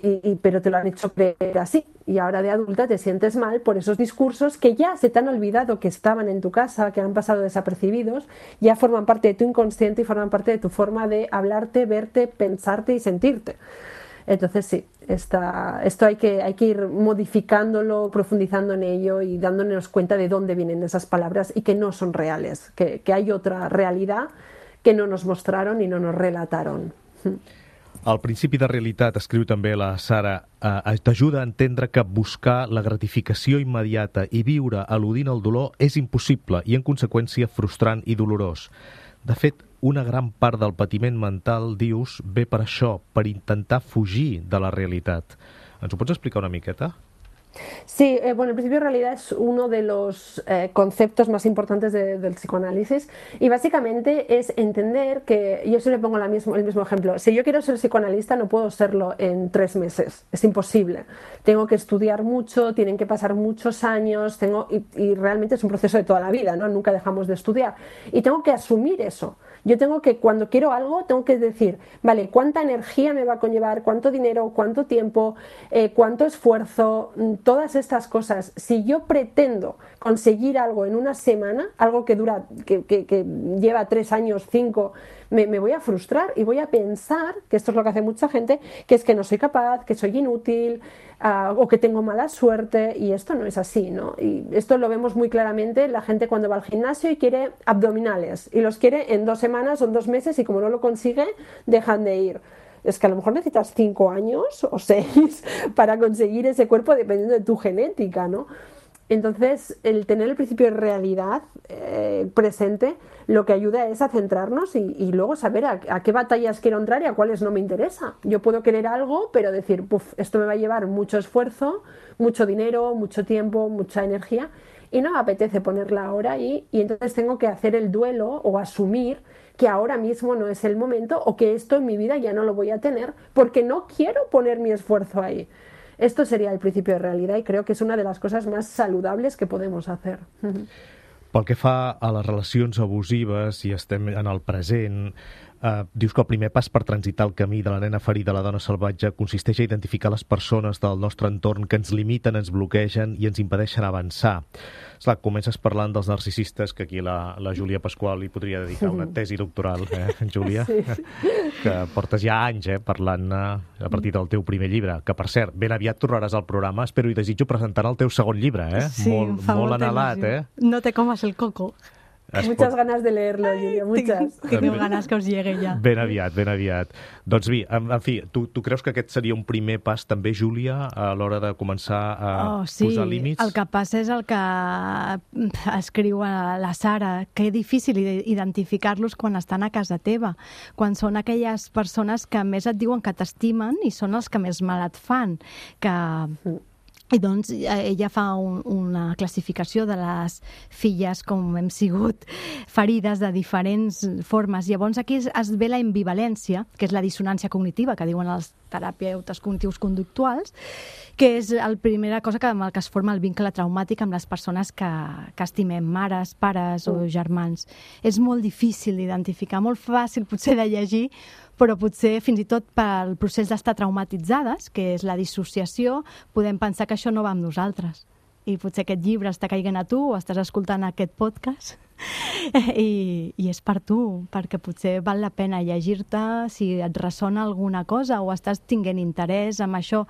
Speaker 3: Y, y, pero te lo han hecho creer así y ahora de adulta te sientes mal por esos discursos que ya se te han olvidado que estaban en tu casa, que han pasado desapercibidos, ya forman parte de tu inconsciente y forman parte de tu forma de hablarte, verte, pensarte y sentirte. Entonces sí, esta, esto hay que, hay que ir modificándolo, profundizando en ello y dándonos cuenta de dónde vienen esas palabras y que no son reales, que, que hay otra realidad que no nos mostraron y no nos relataron.
Speaker 2: El principi de realitat, escriu també la Sara, eh, t'ajuda a entendre que buscar la gratificació immediata i viure eludint el dolor és impossible i, en conseqüència, frustrant i dolorós. De fet, una gran part del patiment mental, dius, ve per això, per intentar fugir de la realitat. Ens ho pots explicar una miqueta?
Speaker 3: Sí, eh, bueno, el principio de realidad es uno de los eh, conceptos más importantes de, del psicoanálisis y básicamente es entender que, yo siempre pongo la mismo, el mismo ejemplo, si yo quiero ser psicoanalista no puedo serlo en tres meses, es imposible, tengo que estudiar mucho, tienen que pasar muchos años, tengo y, y realmente es un proceso de toda la vida, ¿no? Nunca dejamos de estudiar y tengo que asumir eso. Yo tengo que, cuando quiero algo, tengo que decir, vale, ¿cuánta energía me va a conllevar? ¿Cuánto dinero? ¿Cuánto tiempo? Eh, ¿Cuánto esfuerzo? Todas estas cosas. Si yo pretendo conseguir algo en una semana, algo que dura, que, que, que lleva tres años, cinco, me, me voy a frustrar y voy a pensar, que esto es lo que hace mucha gente, que es que no soy capaz, que soy inútil, uh, o que tengo mala suerte, y esto no es así, ¿no? Y esto lo vemos muy claramente la gente cuando va al gimnasio y quiere abdominales, y los quiere en dos semanas o en dos meses, y como no lo consigue, dejan de ir. Es que a lo mejor necesitas cinco años o seis para conseguir ese cuerpo dependiendo de tu genética, ¿no? Entonces, el tener el principio de realidad eh, presente lo que ayuda es a centrarnos y, y luego saber a, a qué batallas quiero entrar y a cuáles no me interesa. Yo puedo querer algo, pero decir, puf, esto me va a llevar mucho esfuerzo, mucho dinero, mucho tiempo, mucha energía, y no me apetece ponerla ahora ahí, y entonces tengo que hacer el duelo o asumir que ahora mismo no es el momento o que esto en mi vida ya no lo voy a tener porque no quiero poner mi esfuerzo ahí. Esto seria el principio de realidad i crec que és una de les coses més saludables que podem fer.
Speaker 2: Pel que fa a les relacions abusives, i estem en el present, eh, dius que el primer pas per transitar el camí de la nena ferida a la dona salvatge consisteix a identificar les persones del nostre entorn que ens limiten, ens bloquegen i ens impedeixen avançar. Esclar, comences parlant dels narcisistes, que aquí la, la Júlia Pasqual li podria dedicar una tesi doctoral, eh, Júlia? Sí. Que portes ja anys eh, parlant a partir del teu primer llibre, que per cert, ben aviat tornaràs al programa, espero i desitjo presentar el teu segon llibre, eh?
Speaker 4: Sí,
Speaker 2: molt, molt anhelat, eh?
Speaker 4: No te comas el coco.
Speaker 3: Es muchas pot... ganas de leerlo, Júlia, muchas.
Speaker 4: Tinc ganes que us llegue ja.
Speaker 2: Ben aviat, ben aviat. Doncs bé, en, en fi, tu, tu creus que aquest seria un primer pas també, Júlia, a l'hora de començar a
Speaker 4: oh, sí.
Speaker 2: posar límits?
Speaker 4: El que passa és el que escriu la Sara, que és difícil identificar-los quan estan a casa teva, quan són aquelles persones que més et diuen que t'estimen i són els que més mal et fan, que... I doncs ella fa un, una classificació de les filles com hem sigut ferides de diferents formes. Llavors aquí es, es ve la ambivalència, que és la dissonància cognitiva, que diuen els terapeutes cognitius conductuals, que és la primera cosa que, amb el que es forma el vincle traumàtic amb les persones que, que estimem, mares, pares o germans. És molt difícil d'identificar, molt fàcil potser de llegir, però potser fins i tot pel procés d'estar traumatitzades, que és la dissociació, podem pensar que això no va amb nosaltres. I potser aquest llibre està caigant a tu o estàs escoltant aquest podcast i, i és per tu, perquè potser val la pena llegir-te si et ressona alguna cosa o estàs tinguent interès en això.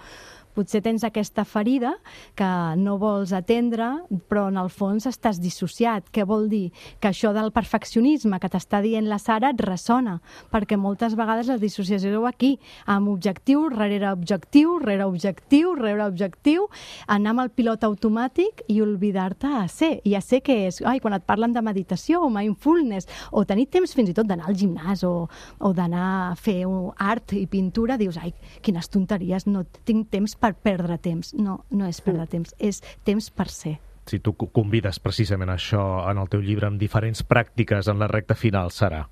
Speaker 4: Potser tens aquesta ferida que no vols atendre, però en el fons estàs dissociat. Què vol dir? Que això del perfeccionisme que t'està dient la Sara et ressona, perquè moltes vegades la dissociació és aquí, amb objectiu, rere objectiu, rere objectiu, rere objectiu, anar amb el pilot automàtic i oblidar-te a ser. I a ser què és? Ai, quan et parlen de meditació o mindfulness, o tenir temps fins i tot d'anar al gimnàs o, o d'anar a fer art i pintura, dius, ai, quines tonteries, no tinc temps per perdre temps. No, no és perdre temps, és temps per ser.
Speaker 2: Si tu convides precisament això en el teu llibre amb diferents pràctiques en la recta final, Sara.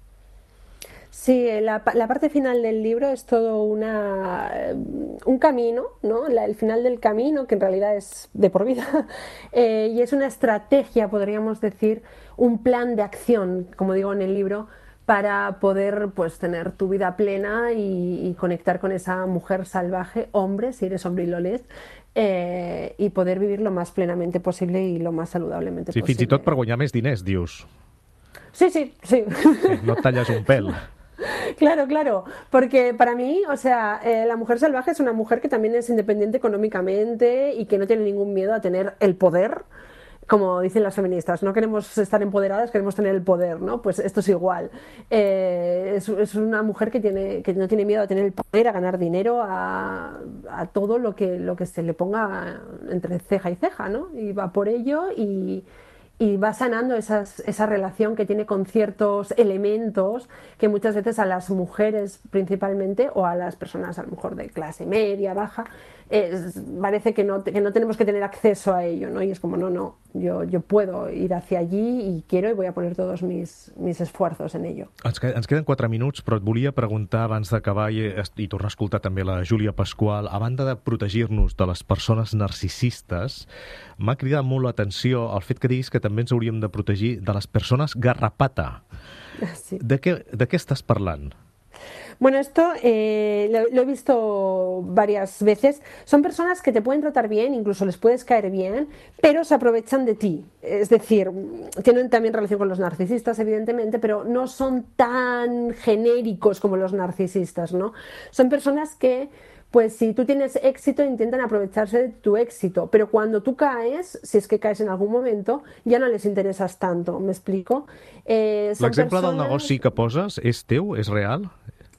Speaker 3: Sí, la, la parte final del libro es todo una, un camino, ¿no? La, el final del camino, que en realidad es de por vida, eh, y es una estrategia, podríamos decir, un plan de acción, como digo en el libro, para poder pues tener tu vida plena y, y conectar con esa mujer salvaje, hombre, si eres hombre y lo lees, eh, y poder vivir lo más plenamente posible y lo más saludablemente
Speaker 2: sí,
Speaker 3: posible.
Speaker 2: Sí, fins i tot per guanyar més diners, dius.
Speaker 3: Sí, sí, sí.
Speaker 2: sí no et talles un pèl.
Speaker 3: Claro, claro, porque para mí, o sea, eh, la mujer salvaje es una mujer que también es independiente económicamente y que no tiene ningún miedo a tener el poder. Como dicen las feministas, no queremos estar empoderadas, queremos tener el poder, ¿no? Pues esto es igual. Eh, es, es una mujer que, tiene, que no tiene miedo a tener el poder, a ganar dinero, a, a todo lo que, lo que se le ponga entre ceja y ceja, ¿no? Y va por ello y, y va sanando esas, esa relación que tiene con ciertos elementos que muchas veces a las mujeres principalmente o a las personas a lo mejor de clase media, baja, es, parece que no, que no tenemos que tener acceso a ello, ¿no? Y es como, no, no, yo, yo puedo ir hacia allí y quiero y voy a poner todos mis, mis esfuerzos en ello.
Speaker 2: Ens, ens queden quatre minuts, però et volia preguntar abans d'acabar i, i tornar a escoltar també la Júlia Pasqual, a banda de protegir-nos de les persones narcisistes, m'ha cridat molt l'atenció el fet que diguis que també ens hauríem de protegir de les persones garrapata.
Speaker 3: Sí.
Speaker 2: De què, de què estàs parlant?
Speaker 3: Bueno, esto eh, lo, lo he visto varias veces. Son personas que te pueden tratar bien, incluso les puedes caer bien, pero se aprovechan de ti. Es decir, tienen también relación con los narcisistas, evidentemente, pero no son tan genéricos como los narcisistas, ¿no? Son personas que, pues si tú tienes éxito, intentan aprovecharse de tu éxito, pero cuando tú caes, si es que caes en algún momento, ja no les intereses tanto, ¿m'explico? Eh,
Speaker 2: L'exemple
Speaker 3: persones...
Speaker 2: del negoci que poses és teu? És real?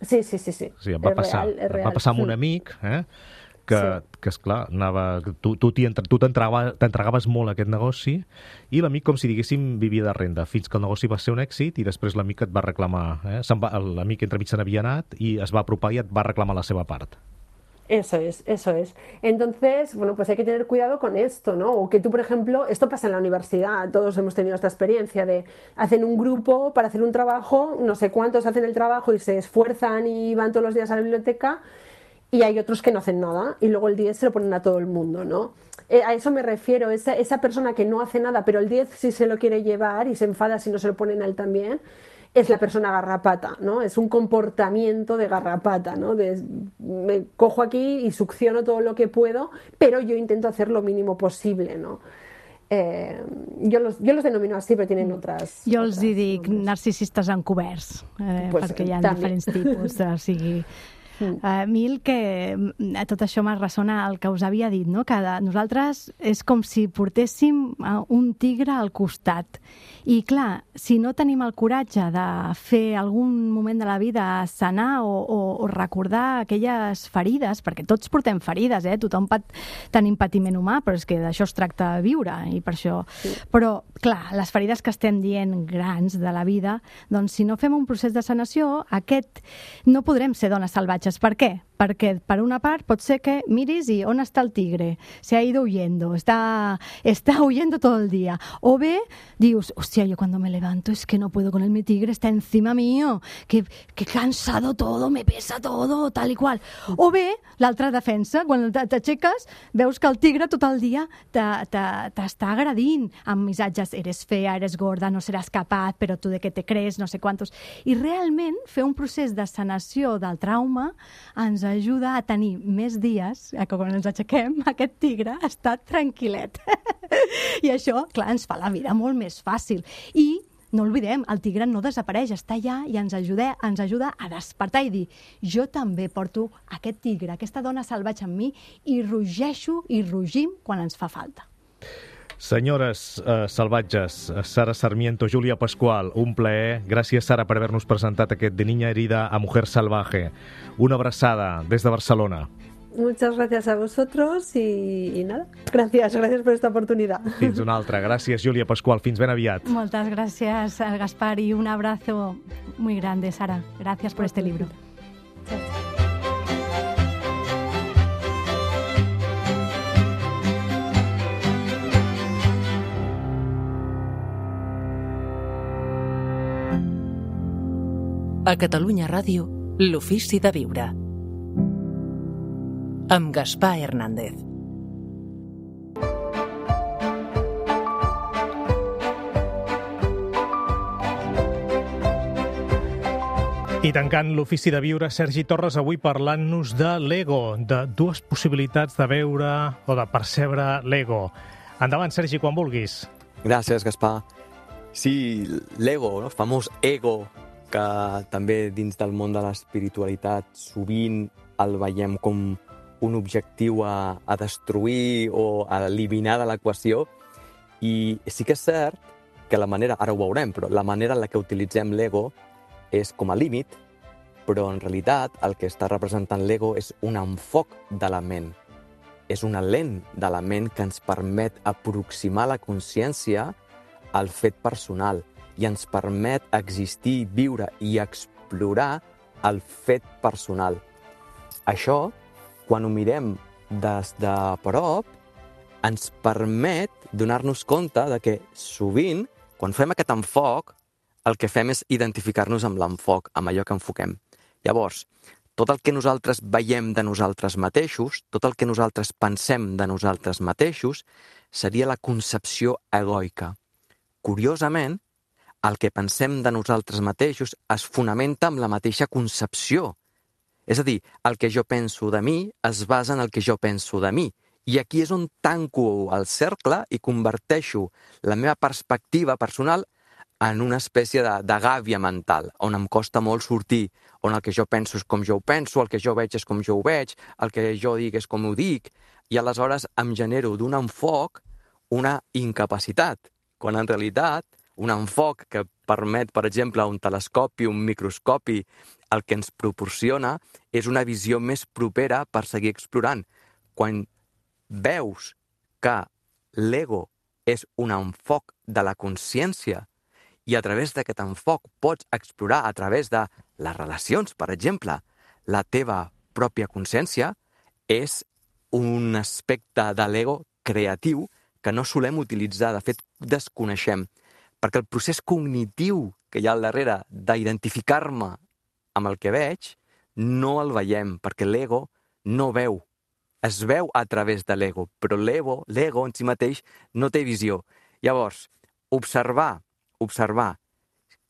Speaker 3: Sí, sí, sí, sí.
Speaker 2: Sí, em va
Speaker 3: és
Speaker 2: passar,
Speaker 3: real, és real.
Speaker 2: em va passar amb un amic, eh? que,
Speaker 3: Sí.
Speaker 2: que esclar, anava, tu, tu t'hi entre- tu t'entrava- t'entregaves molt a aquest negoci i l'amic, com si diguéssim, vivia de renda, fins que el negoci va ser un èxit i després l'amic et va reclamar. Eh? Se'n va, l'amic entremig se n'havia anat i es va apropar i et va reclamar la seva part.
Speaker 3: Eso es, eso es. Entonces, bueno, pues hay que tener cuidado con esto, ¿no? O que tú, por ejemplo, esto pasa en la universidad, todos hemos tenido esta experiencia de hacen un grupo para hacer un trabajo, no sé cuántos hacen el trabajo y se esfuerzan y van todos los días a la biblioteca y hay otros que no hacen nada y luego el diez se lo ponen a todo el mundo, ¿no? Eh, a eso me refiero, esa, esa persona que no hace nada, pero el diez sí se lo quiere llevar y se enfada si no se lo ponen a él también, es la persona garrapata, ¿no? Es un comportamiento de garrapata, ¿no? De, me cojo aquí y succiono todo lo que puedo, pero yo intento hacer lo mínimo posible, ¿no? Eh, jo, los, jo los denomino así, però tenen altres...
Speaker 4: Jo els
Speaker 3: altres
Speaker 4: hi dic
Speaker 3: nombres.
Speaker 4: narcisistes encoberts, eh,
Speaker 3: Pues,
Speaker 4: perquè hi ha
Speaker 3: també.
Speaker 4: diferents tipus, o sigui... A mi el que a tot això me ressona el que us havia dit, no? Que de, nosaltres és com si portéssim un tigre al costat. I clar, si no tenim el coratge de fer algun moment de la vida sanar o, o, o recordar aquelles ferides, perquè tots portem ferides, eh? Tothom pat, tenim patiment humà, però és que d'això es tracta de viure, i per això... Sí. Però, clar, les ferides que estem dient grans de la vida, doncs si no fem un procés de sanació, aquest no podrem ser dones salvatges. ¿Per qué? Porque, per una part, pot ser que miris y ¿on está el tigre? Se ha ido huyendo, está, está huyendo todo el día. O bé, dius, hostia, yo cuando me levanto es que no puedo con él, mi tigre está encima mío, que, que cansado todo, me pesa todo, tal i qual. O bé, l'altra defensa, quan t'aixeques, veus que el tigre tot el dia t'està agredint amb missatges, eres fea, eres gorda, no seràs capaç, però tu de què te crees, no sé quantos. I realment fer un procés de sanació del trauma ens ajuda a tenir més dies, que quan ens aixequem, aquest tigre està tranquil·let. I això, clar, ens fa la vida molt més fàcil. I no oblidem, el tigre no desapareix, està allà i ens ajuda, ens ajuda a despertar i dir, jo també porto aquest tigre, aquesta dona salvatge en mi i rugeixo i rugim quan ens fa falta.
Speaker 2: Senyores eh, salvatges, Sara Sarmiento, Júlia Pascual, un plaer. Gràcies, Sara, per haver-nos presentat aquest De niña herida a mujer salvaje. Una abraçada des de Barcelona.
Speaker 3: Muchas gracias a vosotros y, y nada, gracias, gracias por esta oportunidad.
Speaker 2: Fins una altra. Gràcies, Júlia Pascual. Fins ben aviat.
Speaker 4: Moltes gràcies, Gaspar, y un abrazo muy grande, Sara. Gracias por este libro.
Speaker 1: A Catalunya Ràdio, l'Ofici de Viure. Amb Gaspar Hernández.
Speaker 2: I tancant l'Ofici de Viure, Sergi Torres, avui parlant-nos de l'ego, de dues possibilitats de veure o de percebre l'ego. Endavant, Sergi, quan vulguis.
Speaker 6: Gràcies, Gaspar. Sí, l'ego, no? El famós ego, que també dins del món de l'espiritualitat sovint el veiem com un objectiu a, a destruir o a eliminar de l'equació. I sí que és cert que la manera, ara ho veurem, però la manera en la que utilitzem l'ego és com a límit, però en realitat el que està representant l'ego és un enfoc de la ment. És una lent de la ment que ens permet aproximar la consciència al fet personal i ens permet existir, viure i explorar el fet personal. Això, quan ho mirem des de prop, ens permet donar-nos compte de que sovint, quan fem aquest enfoc, el que fem és identificar-nos amb l'enfoc, amb allò que enfoquem. Llavors, tot el que nosaltres veiem de nosaltres mateixos, tot el que nosaltres pensem de nosaltres mateixos, seria la concepció egoica. Curiosament, el que pensem de nosaltres mateixos es fonamenta en la mateixa concepció. És a dir, el que jo penso de mi es basa en el que jo penso de mi. I aquí és on tanco el cercle i converteixo la meva perspectiva personal en una espècie de, de gàbia mental, on em costa molt sortir, on el que jo penso és com jo ho penso, el que jo veig és com jo ho veig, el que jo dic és com ho dic, i aleshores em genero d'un enfoc una incapacitat, quan en realitat un enfoc que permet, per exemple, un telescopi, un microscopi, el que ens proporciona és una visió més propera per seguir explorant. Quan veus que l'ego és un enfoc de la consciència i a través d'aquest enfoc pots explorar a través de les relacions, per exemple, la teva pròpia consciència, és un aspecte de l'ego creatiu que no solem utilitzar, de fet desconeixem, perquè el procés cognitiu que hi ha al darrere d'identificar-me amb el que veig no el veiem, perquè l'ego no veu. Es veu a través de l'ego, però l'ego, l'ego en si mateix no té visió. Llavors, observar, observar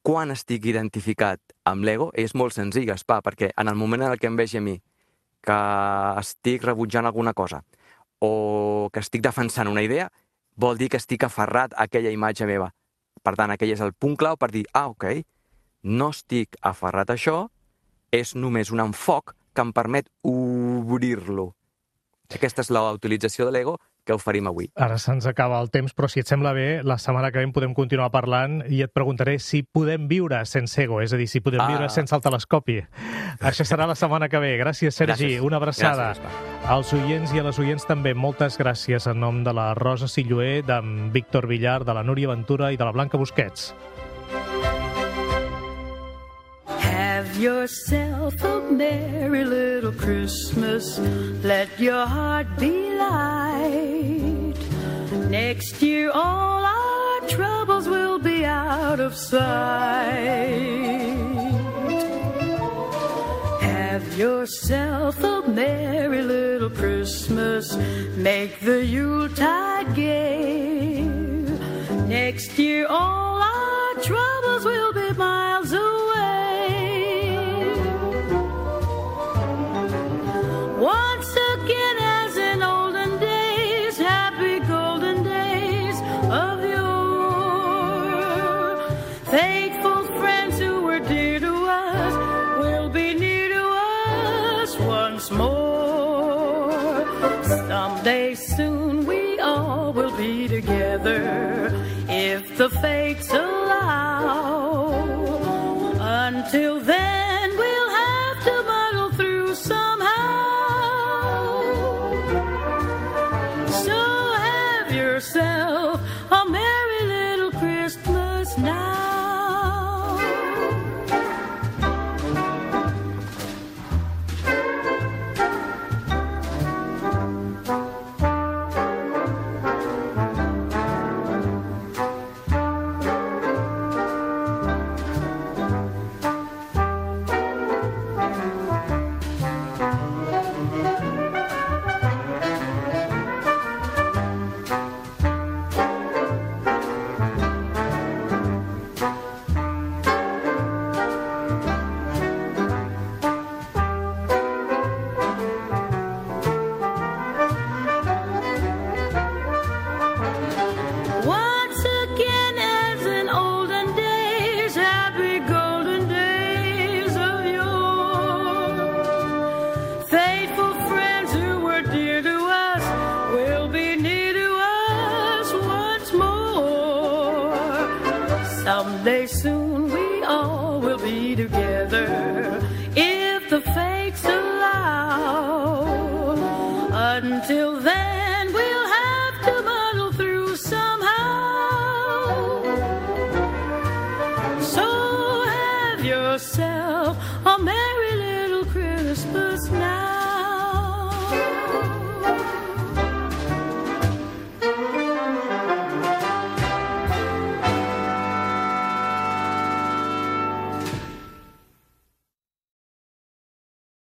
Speaker 6: quan estic identificat amb l'ego és molt senzill, Gaspar, perquè en el moment en què em vegi a mi que estic rebutjant alguna cosa o que estic defensant una idea, vol dir que estic aferrat a aquella imatge meva. Per tant, aquell és el punt clau per dir, ah, ok, no estic aferrat a això, és només un enfoc que em permet obrir-lo. Aquesta és la utilització de l'ego que oferim avui.
Speaker 2: Ara se'ns acaba el temps, però si et sembla bé, la setmana que ve en podem continuar parlant i et preguntaré si podem viure sense ego, és a dir, si podem ah. viure sense el telescopi. Això serà la setmana que ve. Gràcies, Sergi. Gràcies. Una abraçada. Gràcies, als oients i a les oients també, moltes gràcies en nom de la Rosa Silloé, d'en Víctor Villar, de la Núria Ventura i de la Blanca Busquets.
Speaker 7: Have yourself a merry little Christmas. Let your heart be light. Next year all our troubles will be out of sight. Have yourself a merry little Christmas. Make the Yuletide gay. Next year all our troubles will be miles away. Once again, as in olden days, happy golden days of yore. Faithful friends who were dear to us will be near to us once more. Someday soon we all will be together if the fates allow. Until then, we'll have to muddle through somehow. Yourself a merry little Christmas now. Someday soon we all will be together if the fates allow. Until then we'll have to muddle through somehow. So have yourself a merry